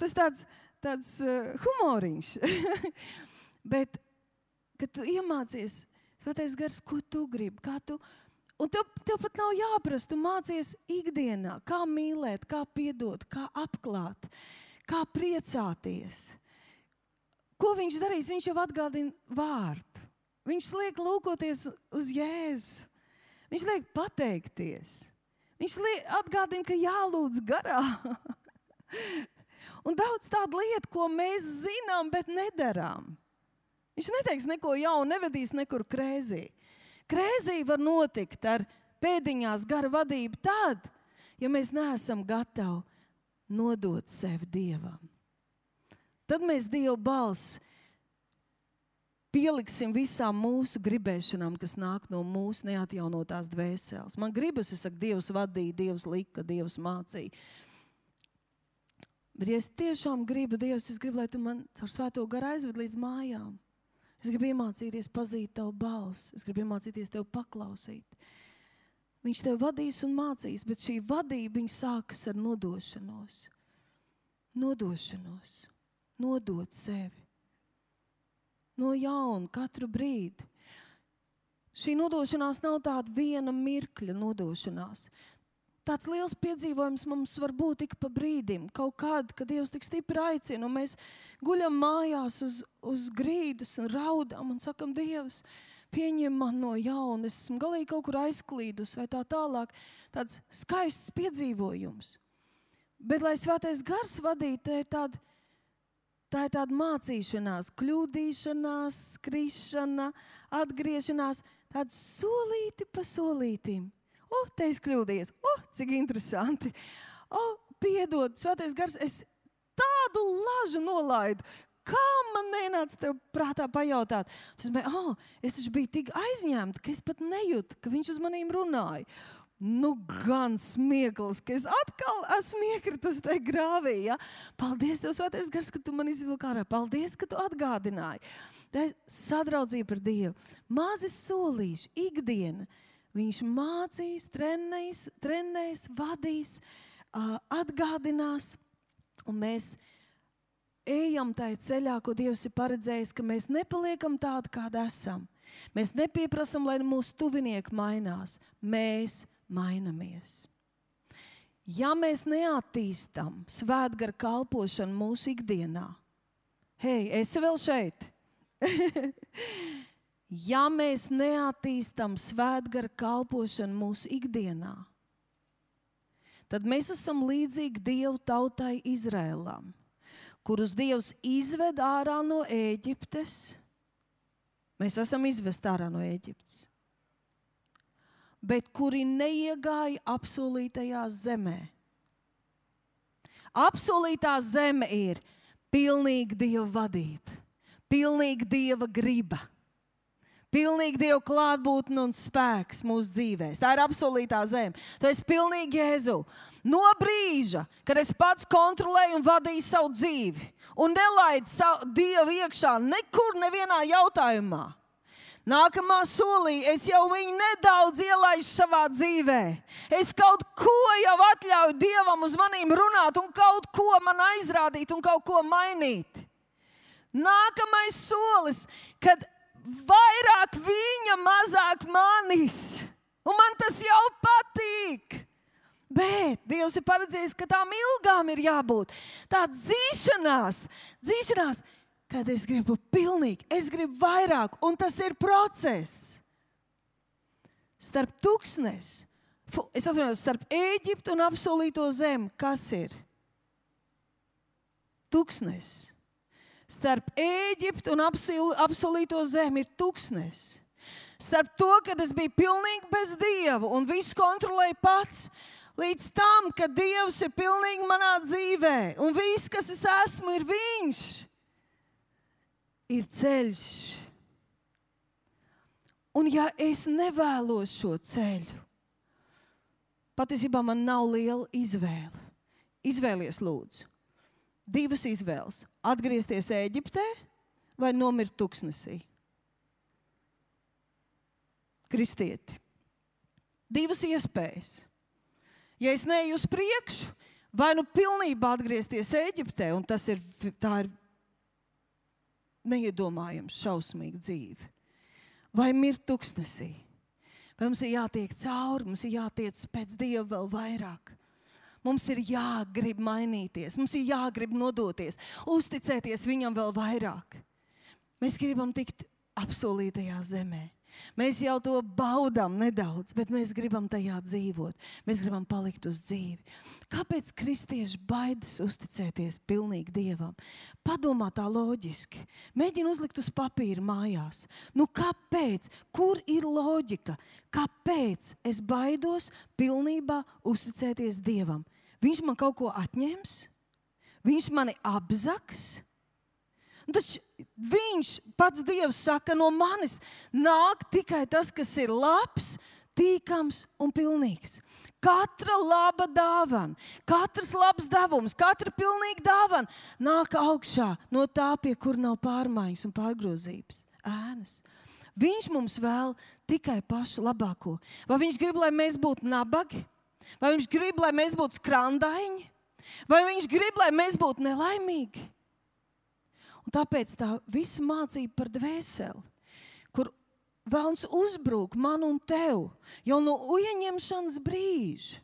Tas tāds humoriņš. Bet, kad tu iemācies, svētais gars, ko tu gribi, kā tu... Un tev pat nav jāprast, tu mācies ikdienā, kā mīlēt, kā piedot, kā apklāt, kā priecāties. Ko viņš darīs? Viņš jau atgādina vārdu. Viņš liek lūkoties uz Jēzu. Viņš liek pateikties. Viņš atgādina, ka jālūdz garā. Un daudz tādu lietu, ko mēs zinām, bet nedarām. Viņš neteiks neko jaunu, nevedīs nekur krēzī. Krēzī var notikt ar pēdiņās gara vadību tad, ja mēs neesam gatavi nodot sevi Dievam. Tad mēs Dieva balsi pieliksim visām mūsu gribēšanām, kas nāk no mūsu neatjaunotās dvēseles. Man gribas, es saku, Dievs vadīja, Dievs lika, Dievs mācīja. Bet ja es tiešām gribu, Dievs, es gribu, lai tu man caur svēto garu aizved līdz mājām. Es gribu iemācīties pazīt tavu balsi. Es gribu iemācīties tev paklausīt. Viņš tev vadīs un mācīs, bet šī vadība viņa sākas ar nodošanos. Nodot sevi. No jauna, katru brīdi. Šī nodošanās nav tāda viena mirkļa nodošanās. Tāds liels piedzīvojums mums var būt tik pa brīdim, kaut kādu, kad Dievs tik stipri aicina, un mēs guļam mājās uz grīdas un raudām un sakam, Dievs, pieņem man no jauna, es esmu galīgi kaut kur aizklīdus vai tā tālāk, tāds skaists piedzīvojums. Bet, lai svētais gars vadītu, tā ir tāda mācīšanās, kļūdīšanās, skrišana, atgriešanās, tāda solīti pa solītim. Te es kļūdījies, cik interesanti. Piedod, svētais gars, es tādu lažu nolaidu. Kā man nenāca tev prātā pajautāt? Es taču biju tik aizņemta, ka es pat nejūtu, ka viņš uz manīm runāja. Gan smieklis, ka es atkal esmu iekritus tajā grāvī. Ja? Paldies Tev, svētais gars, ka Tu man izvilki ārā. Paldies, ka Tu atgādināji. Tā ir sadraudzība par Dievu. Mazi solīši, ikdiena. Viņš mācīs, trenēs, vadīs, atgādinās. Un mēs ejam tajā ceļā, ko Dievs ir paredzējis, ka mēs nepaliekam tādi, kādi esam. Mēs nepieprasam, lai mūsu tuvinieki mainās. Mēs mainamies. Ja mēs neattīstam svētgara kalpošanu mūsu ikdienā, esi vēl šeit? Ja mēs neattīstam svētgara kalpošanu mūsu ikdienā, tad mēs esam līdzīgi Dievu tautai Izrēlam, kurus Dievs izved ārā no Ēģiptes. Mēs esam izvest ārā no Ēģiptes. Bet kuri neiegāja apsolītajā zemē. Apsolītā zeme ir pilnīga Dieva vadība, pilnīga Dieva griba, pilnīga Dieva klātbūtne un spēks mūsu dzīvēs. Tā ir apsolītā zeme. Tu esi pilnīgi Jēzu. No brīža, kad es pats kontrolēju un vadīju savu dzīvi un nelaidu Dievu iekšā nekur nevienā jautājumā, nākamā solī es jau viņu nedaudz ielaižu savā dzīvē. Es kaut ko jau atļauju Dievam uz manīm runāt un kaut ko man aizrādīt un kaut ko mainīt. Nākamais solis, kad vairāk viņa, mazāk manis. Un man tas jau patīk. Bet Dievs ir paredzējis, ka tām ilgām ir jābūt. Tā dzīšanās, kad es gribu pilnīgi, es gribu vairāk, un tas ir process. Starp starp Ēģiptu un apsolīto zemi, kas ir? Tuksnes. Starp Ēģiptu un apsolīto zemi ir tuksnes. Starp to, kad es biju pilnīgi bez Dieva un visu kontrolēju pats, līdz tam, ka Dievs ir pilnīgi manā dzīvē un viss, kas es esmu, ir Viņš. Ir ceļš. Un ja es nevēlos šo ceļu, patiesībā man nav liela izvēle. Izvēlies lūdzu. 2 izvēles. Atgriezties Ēģiptē vai nomirt tuksnesī? Kristieti. 2 iespējas. Ja es neeju uz priekšu, vai nu pilnībā atgriezties Ēģiptē, un tā ir neiedomājams šausmīga dzīve, vai mirt tuksnesī. Vai mums ir jātiek cauri, mums ir jātiec pēc Dieva vēl vairāk. Mums ir jāgrib mainīties, mums ir jāgrib nodoties, uzticēties viņam vēl vairāk. Mēs gribam tikt apsolītajā zemē. Mēs jau to baudām nedaudz, bet mēs gribam tajā dzīvot. Mēs gribam palikt uz dzīvi. Kāpēc kristieši baidas uzticēties pilnīgi Dievam? Padomā tā loģiski. Mēģini uzlikt uz papīra mājās. Kāpēc? Kur ir loģika? Kāpēc es baidos pilnībā uzticēties Dievam? Viņš man kaut ko atņems? Viņš mani apzaks? Taču viņš, pats Dievs saka, no manis nāk tikai tas, kas ir labs, tīkams un pilnīgs. Katra laba dāvana, katrs labs devums, katra pilnīga dāvana nāk augšā no tā, pie kur nav pārmaiņas un pārgrozības. Ēnas. Viņš mums vēl tikai pašu labāko. Vai viņš grib, lai mēs būtu nabagi? Vai viņš grib, lai mēs būtu skrandaiņi? Vai viņš grib, lai mēs būtu nelaimīgi? Un tāpēc tā visa mācība par dvēseli, kur Velns uzbrūk man un tev jau no ieņemšanas brīža.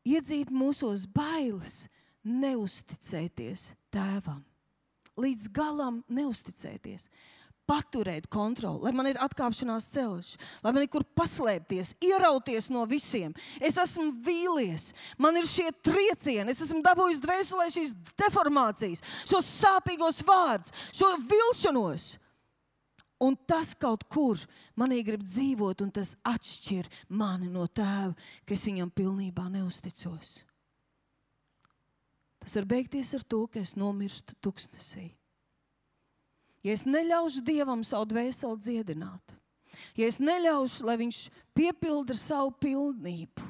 Iedzīt mūsos bailes, neusticēties tēvam. Līdz galam neusticēties. paturēt kontroli, lai man ir atkāpšanās ceļš, lai man ir kur paslēpties, ierauties no visiem. Es esmu vīlies, man ir šie triecieni, es esmu dabūjis dvēselē šīs deformācijas, šos sāpīgos vārdus, šo vilšanos. Un tas kaut kur manī grib dzīvot, un tas atšķir mani no tēva, ka es viņam pilnībā neusticos. Tas var beigties ar to, ka es nomirstu tuksnesī. Ja es neļaušu Dievam savu dvēseli dziedināt, ja es neļaušu, lai viņš piepilda ar savu pilnību,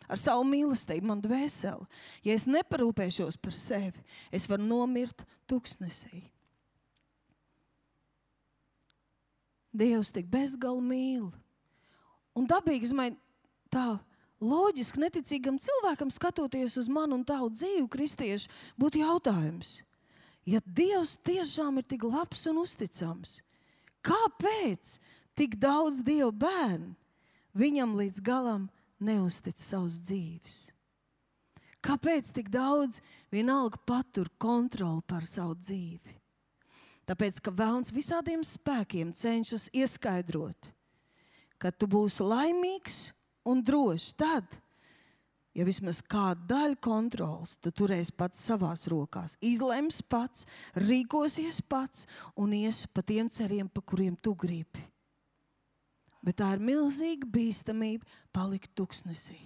ar savu mīlestību man dvēseli, ja es neparūpēšos par sevi, es varu nomirt tuksnesī. Dievs tik bezgali mīl. Un dabīgi, es domāju, tā loģiski neticīgam cilvēkam skatoties uz manu un tavu dzīvi, kristiešu, būtu jautājums. Ja Dievs tiešām ir tik labs un uzticams, kāpēc tik daudz Dieva bērnu viņam līdz galam neuztic savas dzīves? Kāpēc tik daudz vienalga patur kontroli par savu dzīvi? Tāpēc, ka velns visādiem spēkiem cenšas ieskaidrot, ka tu būsi laimīgs un drošs tad, ja vismaz kāda daļa kontrols tu turēsi pats savās rokās, izlems pats, rīkosies pats un ies pa tiem ceļiem, pa kuriem tu gribi. Bet tā ir milzīga bīstamība palikt tuksnesī.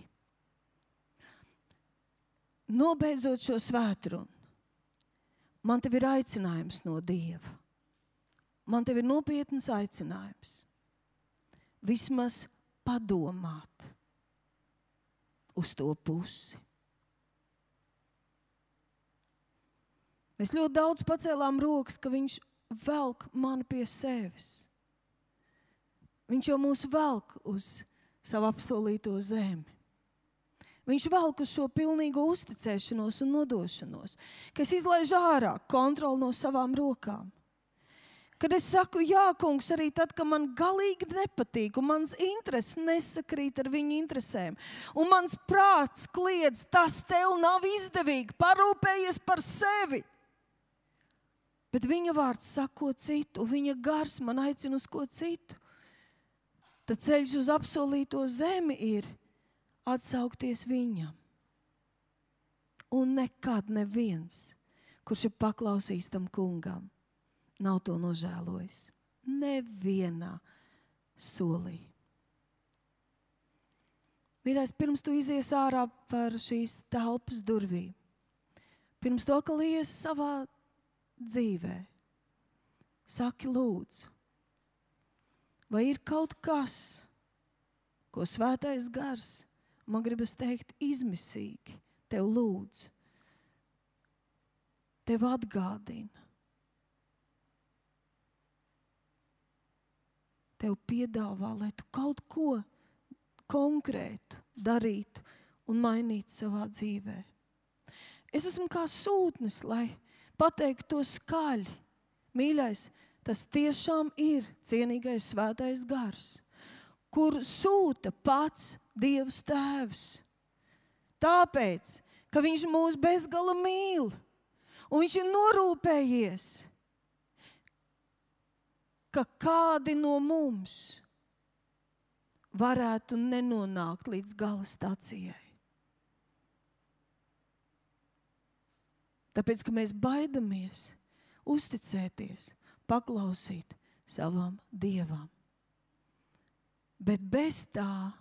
Nobeidzot šo svētrunu, man tev ir aicinājums no Dieva. Man tev ir nopietnas aicinājums. Vismaz padomāt uz to pusi. Mēs ļoti daudz pacēlām rokas, ka viņš velk mani pie sevis. Viņš jau mūs velk uz savu apsolīto zemi. Viņš velk uz šo pilnīgo uzticēšanos un nodošanos, ka es izlaižu ārā kontroli no savām rokām. Kad es saku, jā, kungs, arī tad, ka man galīgi nepatīk, un mans intereses nesakrīt ar viņa interesēm, un mans prāts kliedz, tas tev nav izdevīgi, parūpējies par sevi. Bet viņa vārds saka ko citu, viņa gars man aicina uz ko citu. Tad ceļš uz apsolīto zemi ir atsaukties viņam. Un nekad neviens, kurš ir paklausījis tam kungam, nav to nožēlojis. Nevienā solī. Mīļais, pirms tu izies ārā par šīs telpas durvīm, pirms to, ka lies savā dzīvē, saki lūdzu, vai ir kaut kas, ko svētais gars, man gribas teikt, izmisīgi tev lūdzu, tev atgādina, tev piedāvā, lai tu kaut ko konkrētu darītu un mainītu savā dzīvē. Es esmu kā sūtnis, lai pateiktu to skaļi. Mīļais, tas tiešām ir cienīgais svētais gars, kur sūta pats Dievs Tēvs. Tāpēc, ka viņš mūs bezgala mīl un viņš ir norūpējies, ka kādi no mums varētu nenonākt līdz gala stacijai. Tāpēc, ka mēs baidamies uzticēties, paklausīt savam Dievam. Bet bez tā,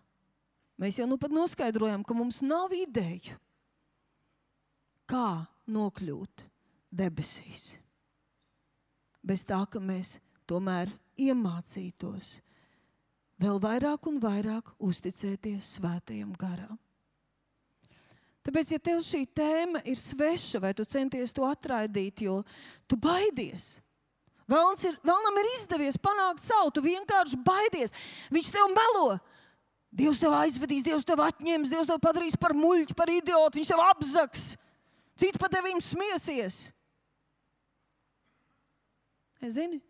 mēs jau nu pat noskaidrojam, ka mums nav ideju, kā nokļūt debesīs. Bez tā, ka mēs tomēr iemācītos vēl vairāk un vairāk uzticēties svētajam garam. Tāpēc, ja tev šī tēma ir sveša, vai tu centies to atraidīt, jo tu baidies. Vēlnam ir izdevies panākt savu, tu vienkārši baidies. Viņš tev melo. Dievs tev aizvedīs, Dievs tev atņems, Dievs tev padarīs par muļķi, par idiotu, viņš tev apzaks. Citi pa tevīm smiesies. Zini?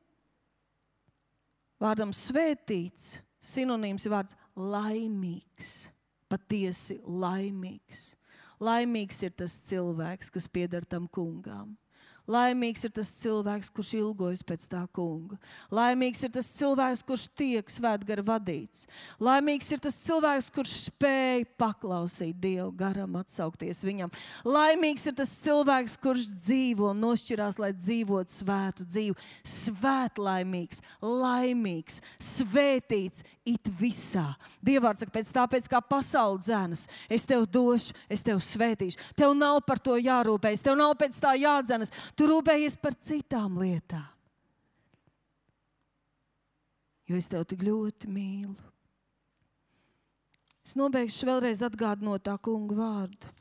Vārdam svētīts, sinonīms ir vārds laimīgs, patiesi laimīgs. Laimīgs ir tas cilvēks, kas pieder tam kungam. Laimīgs ir tas cilvēks, kurš ilgojas pēc tā kunga. Laimīgs ir tas cilvēks, kurš tiek svētgara vadīts. Laimīgs ir tas cilvēks, kurš spēj paklausīt Dievu garam, atsaukties viņam. Laimīgs ir tas cilvēks, kurš dzīvo un nošķirās, lai dzīvotu svētu dzīvi. Svētlaimīgs, laimīgs, svētīts it visā. Dievvārds saka, tāpēc kā pasaule dzenas, es tev došu, es tev svētīšu. Tev nav par to jārūpējas, tev nav pēc tā jādzenas. Tu rūpējies par citām lietām. Jo es tev tik ļoti mīlu. Es nobeigšu vēlreiz atgādinot tā kunga vārdu.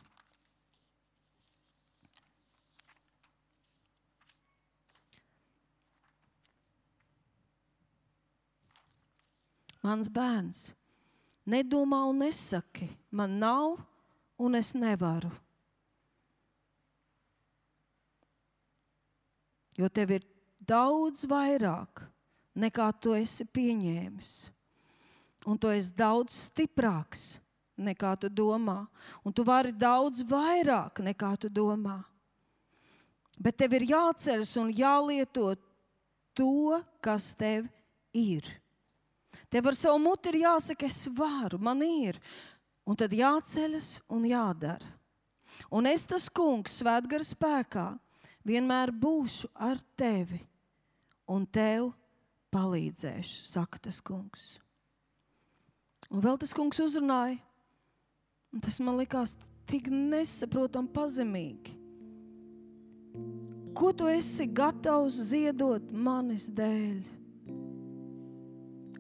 Mans bērns, nedomā un nesaki, man nav un es nevaru. Jo tev ir daudz vairāk, nekā tu esi pieņēmis. Un tu esi daudz stiprāks, nekā tu domā. Un tu vari daudz vairāk, nekā tu domā. Bet tev ir jāceļas un jālieto to, kas tev ir. Tev ar savu muti ir jāsaka, es varu, man ir. Un tad jāceļas un jādara. Un es tas kungs svētgara spēkā vienmēr būšu ar tevi un tev palīdzēšu, saka tas kungs. Un vēl tas kungs uzrunāja, un tas man likās tik nesaprotam pazemīgi. Ko tu esi gatavs ziedot manis dēļ?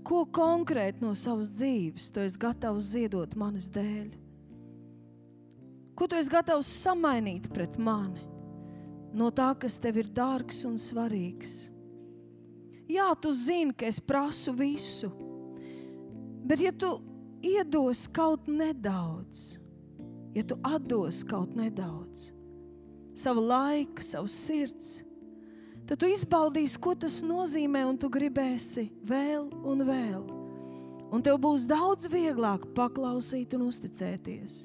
Ko konkrēti no savas dzīves tu esi gatavs ziedot manis dēļ? Ko tu esi gatavs samainīt pret mani? No tā, kas tev ir dārgs un svarīgs. Jā, tu zini, ka es prasu visu, bet ja tu iedos kaut nedaudz, ja tu atdos kaut nedaudz, savu laiku, savu sirds, tad tu izbaudīsi, ko tas nozīmē, un tu gribēsi vēl un vēl. Un tev būs daudz vieglāk paklausīt un uzticēties.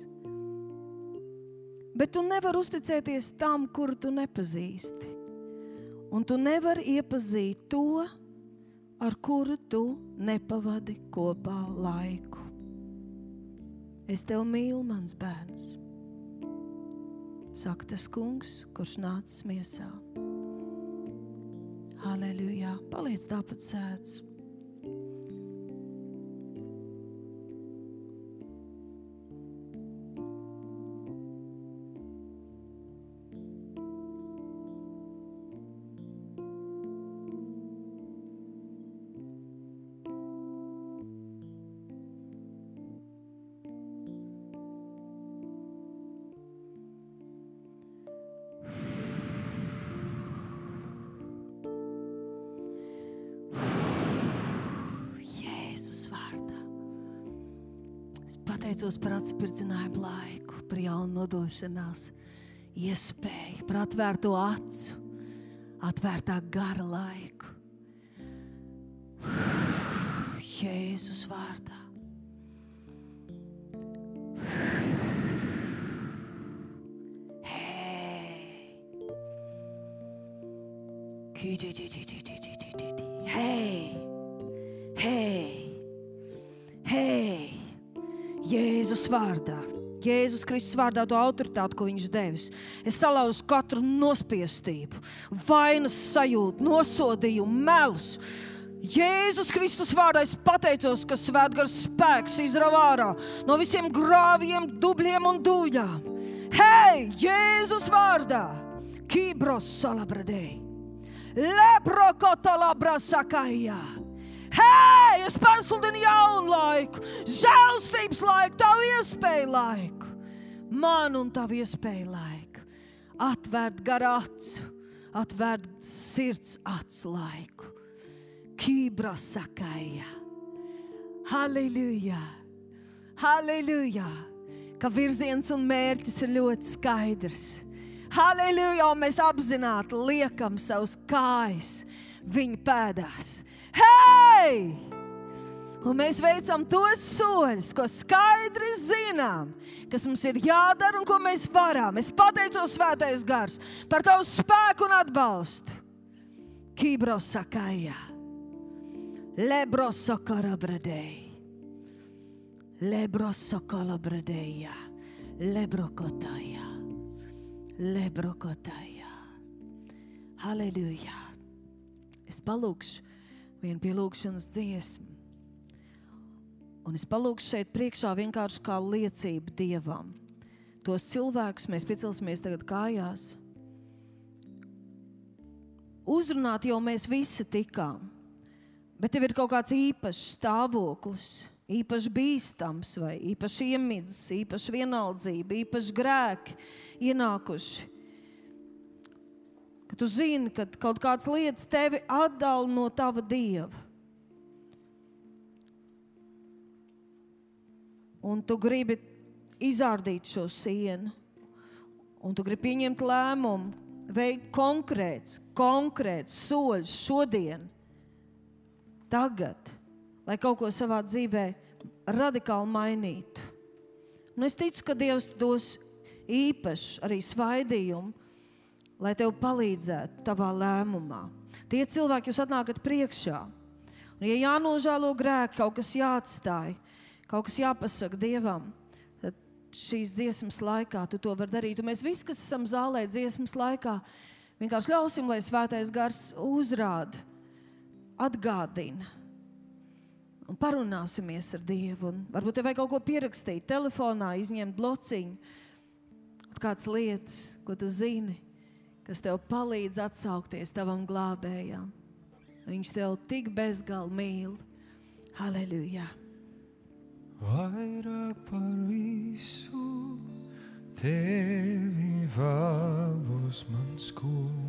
Bet tu nevari uzticēties tam, kuru tu nepazīsti. Un tu nevari iepazīt to, ar kuru tu nepavadi kopā laiku. Es tev mīlu, mans bērns, saka tas kungs, kurš nācis miesā. Halleluja! Paliec tāpat sēdz. Pateicos par atspirdzinājumu laiku, par jaunu nodošanās iespēju, par atvērto acu, atvērtā gara laiku. Jēzus vārdā. Hei! Hei! Hei! Hei! Jēzus vārdā, Jēzus Kristus vārdā to autoritāti, ko viņš devis. Es salauzu katru nospiestību, vainas sajūtu, nosodījumu, melus. Jēzus Kristus vārdā es pateicos, ka svētgars spēks izrauj ārā no visiem grāviem, dubļiem un dūļām. Hei, Jēzus vārdā! Kibros salabradei, lebrokotolabra sakajā. Hei, es pasludinu jaunu laiku, žēlstības laiku, tavu iespēju laiku. Man un tavu iespēju laiku. Atvērt garu acu, atvērt sirds acu laiku. Kibra sakāja. Halleluja. Halleluja. Ka virziens un mērķis ir ļoti skaidrs. Halleluja, un mēs apzināti liekam savus kājas viņa pēdās. Hei! Un mēs veicam tos soļus, ko skaidri zinām, kas mums ir jādara un ko mēs varam. Es pateicos, Svētais Gars, par tavu spēku un atbalstu. Kibrosakajā, lebrosokarabradeja, lebrosokalabradeja, lebrokotajā, lebrokotajā. Halleluja. Es palūkšu vienu pielūgšanas dziesmu. Un es palūkšu šeit priekšā vienkārši kā liecību Dievam. Tos cilvēkus mēs piecelsimies tagad kājās. Uzrunāt jau mēs visi tikām. Bet tev ir kaut kāds īpašs stāvoklis, īpaši bīstams vai īpaši iemidzis, īpaši vienaldzība, īpaši grēki ienākuši. Ka tu zini, ka kaut kādas lietas tevi atdala no tava Dieva. Un tu gribi izārdīt šo sienu. Un tu gribi pieņemt lēmumu, veikt konkrēts soļus šodien, tagad, lai kaut ko savā dzīvē radikāli mainītu. Un es ticu, ka Dievs dos īpaši arī svaidījumu, lai tev palīdzētu tavā lēmumā. Tie cilvēki, jūs atnākat priekšā. Un ja jānožēlo grēki, kaut kas jāatstāj, kaut kas jāpasaka Dievam, tad šīs dziesmas laikā tu to var darīt. Un mēs visi, kas esam zālē dziesmas laikā, vienkārši ļausim, lai Svētais Gars uzrāda, atgādina. Un parunāsimies ar Dievu. Un varbūt tev vajag kaut ko pierakstīt telefonā, izņemt blociņu. Kāds lietas, ko tu zini, kas tev palīdz atsaukties tavam glābējām. Viņš tev tik bezgali mīl. Halleluja. Vairāk par visu tevi vēlos, mans kungs.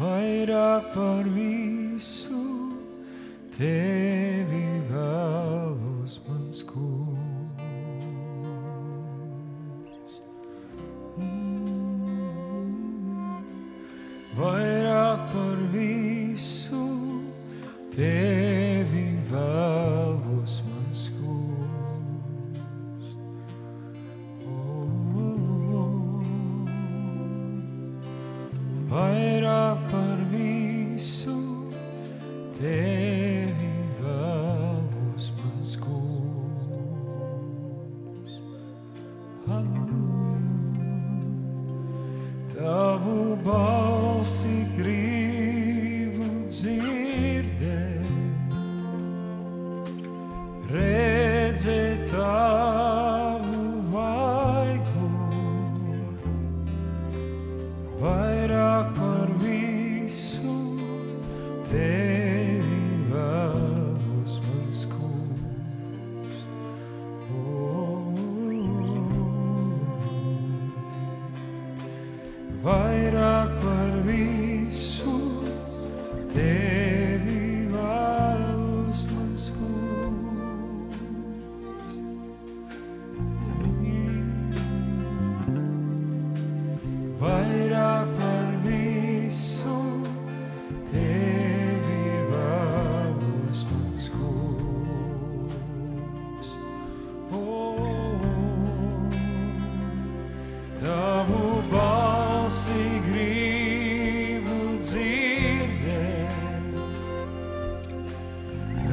Vairāk par visu tevi vēlos, mans kungs. Vairāk par visu tevi vēlos, mans kungs. Vairāk par visu tevi vēlos, mans kungs. Halleluja. Tavu balsi gribu dzirdēt, redzēt tavu vaigu, vairāk par visu tevi vēlos, mans kungs. Vairāk par visu tevi vēlos, mans kungs. Vairāk par visu tevi vēlos, mans kungs. Tavu balsi gribu dzirdēt,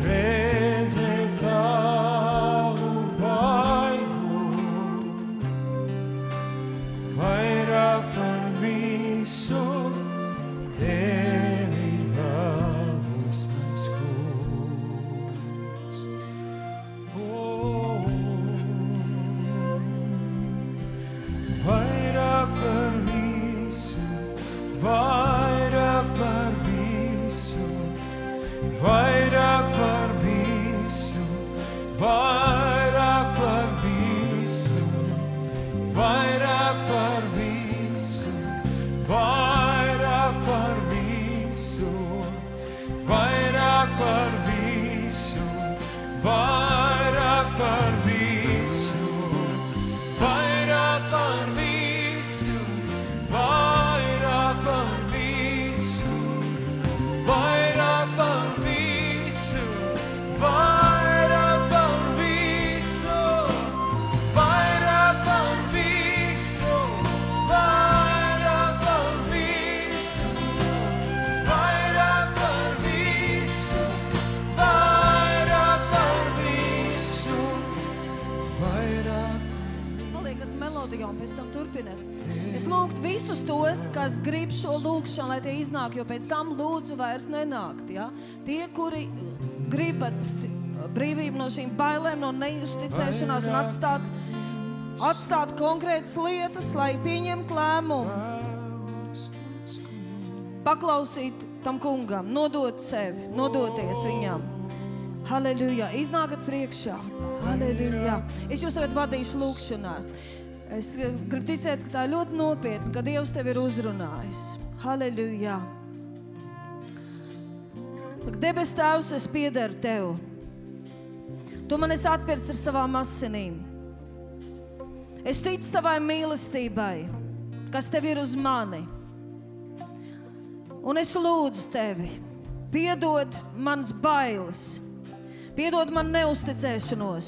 redzēt tavu vaigu, vairāk par visu tevi vēlos, mans kungs. Vairāk par visu, vairāk par visu, vairāk par visu, vairāk par visu, vairāk par visu, vairāk par visu, vairāk par visu, vairāk par visu, vairāk par visu, vairāk par melodijā un pēc tam turpināt. Es lūgtu visus tos, kas grib šo lūgšanu, lai tie iznāk, jo pēc tam lūdzu vairs nenākt. Ja? Tie, kuri gribat brīvību no šīm bailēm, no neusticēšanās un atstāt konkrētas lietas, lai pieņemt lēmumu. Paklausīt tam kungam, nodot sevi, nodoties viņam. Halleluja, iznākat priekšā. Halleluja. Es jūs tagad vadīšu lūgšanā. Es gribu ticēt, ka tā ir ļoti nopietna, ka Dievs tevi ir uzrunājis. Halleluja. Debes Tēvs, es piederu Tev. Tu man esi atpircis ar savām asinīm. Es ticu Tavai mīlestībai, kas Tev ir uz mani. Un es lūdzu Tevi, piedod manas bailes, piedod man neusticēšanos.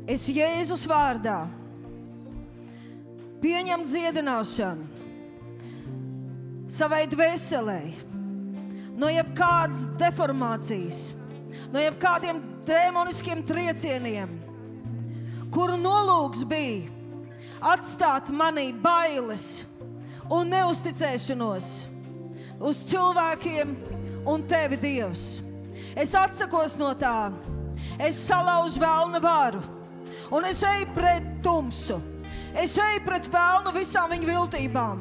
Es Jēzus vārdā pieņem dziedināšanu savai dvēselei, no jebkādas deformācijas, no jebkādiem dēmoniskiem triecieniem, kuru nolūks bija atstāt manī bailes un neusticēšanos uz cilvēkiem un Tevi, Dievs. Es atsakos no tā. Es salaužu velna varu. Un es eju pret tumsu. Es eju pret velnu visām viņu viltībām.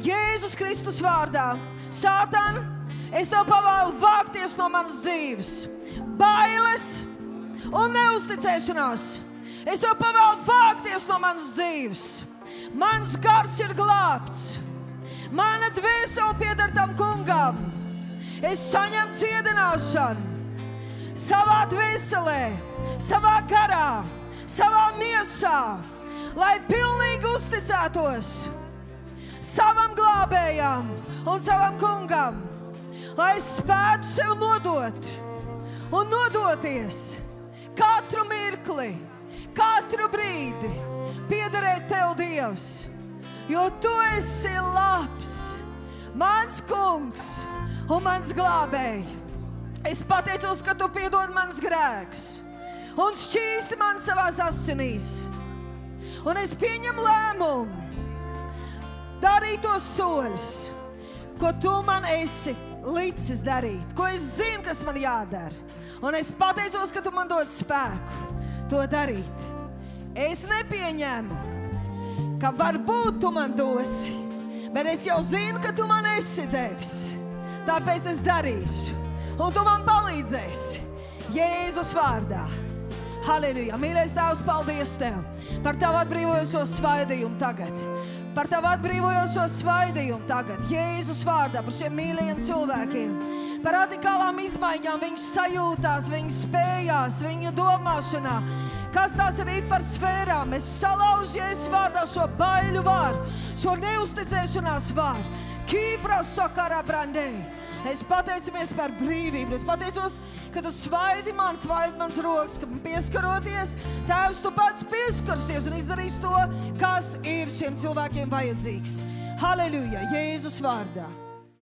Jēzus Kristus vārdā. Sātan, es Tev pavēlu vākties no manas dzīves. Bailes un neusticēšanās. Es Tev pavēlu vākties no manas dzīves. Mans gars ir glābts. Mana dvēsele pieder tam kungam. Es saņemu dziedināšanu savā dvēselē, savā garā, savā miesā, lai pilnīgi uzticētos savam glābējam un savam kungam, lai spētu sev nodot un nodoties katru mirkli, katru brīdi piederēt Tev, Dievs, jo Tu esi labs, mans kungs un mans glābēji. Es pateicos, ka Tu piedod manas grēkus un šķīsti man savās asinīs. Un es pieņemu lēmumu darīt tos soļus, ko Tu man esi licis darīt, ko es zinu, kas man jādara. Un es pateicos, ka Tu man dod spēku to darīt. Es nepieņemu, ka varbūt Tu man dosi, bet es jau zinu, ka Tu man esi devis. Tāpēc es darīšu, un Tu man palīdzēsi Jēzus vārdā. Halleluja. Mīļais Tēvs, paldies Tev par Tavu atbrīvojošo svaidījumu tagad. Par Tavu atbrīvojošo svaidījumu tagad. Jēzus vārdā par šiem mīļajiem cilvēkiem. Par radikālām izmaiņām viņu sajūtās, viņu spējās, viņu domāšanā. Kas tās arī ir par sfērām? Es salaužu Jēzus vārdā šo baiļu vāru, šo neusticēšanās vāru. Kīpra sakarā brandē. Es pateicamies par brīvību. Es pateicos, ka Tu svaidi mans rokas, ka pieskaroties, Tēvs, Tu pats pieskarsies un izdarīs to, kas ir šiem cilvēkiem vajadzīgs. Halleluja, Jēzus vārdā.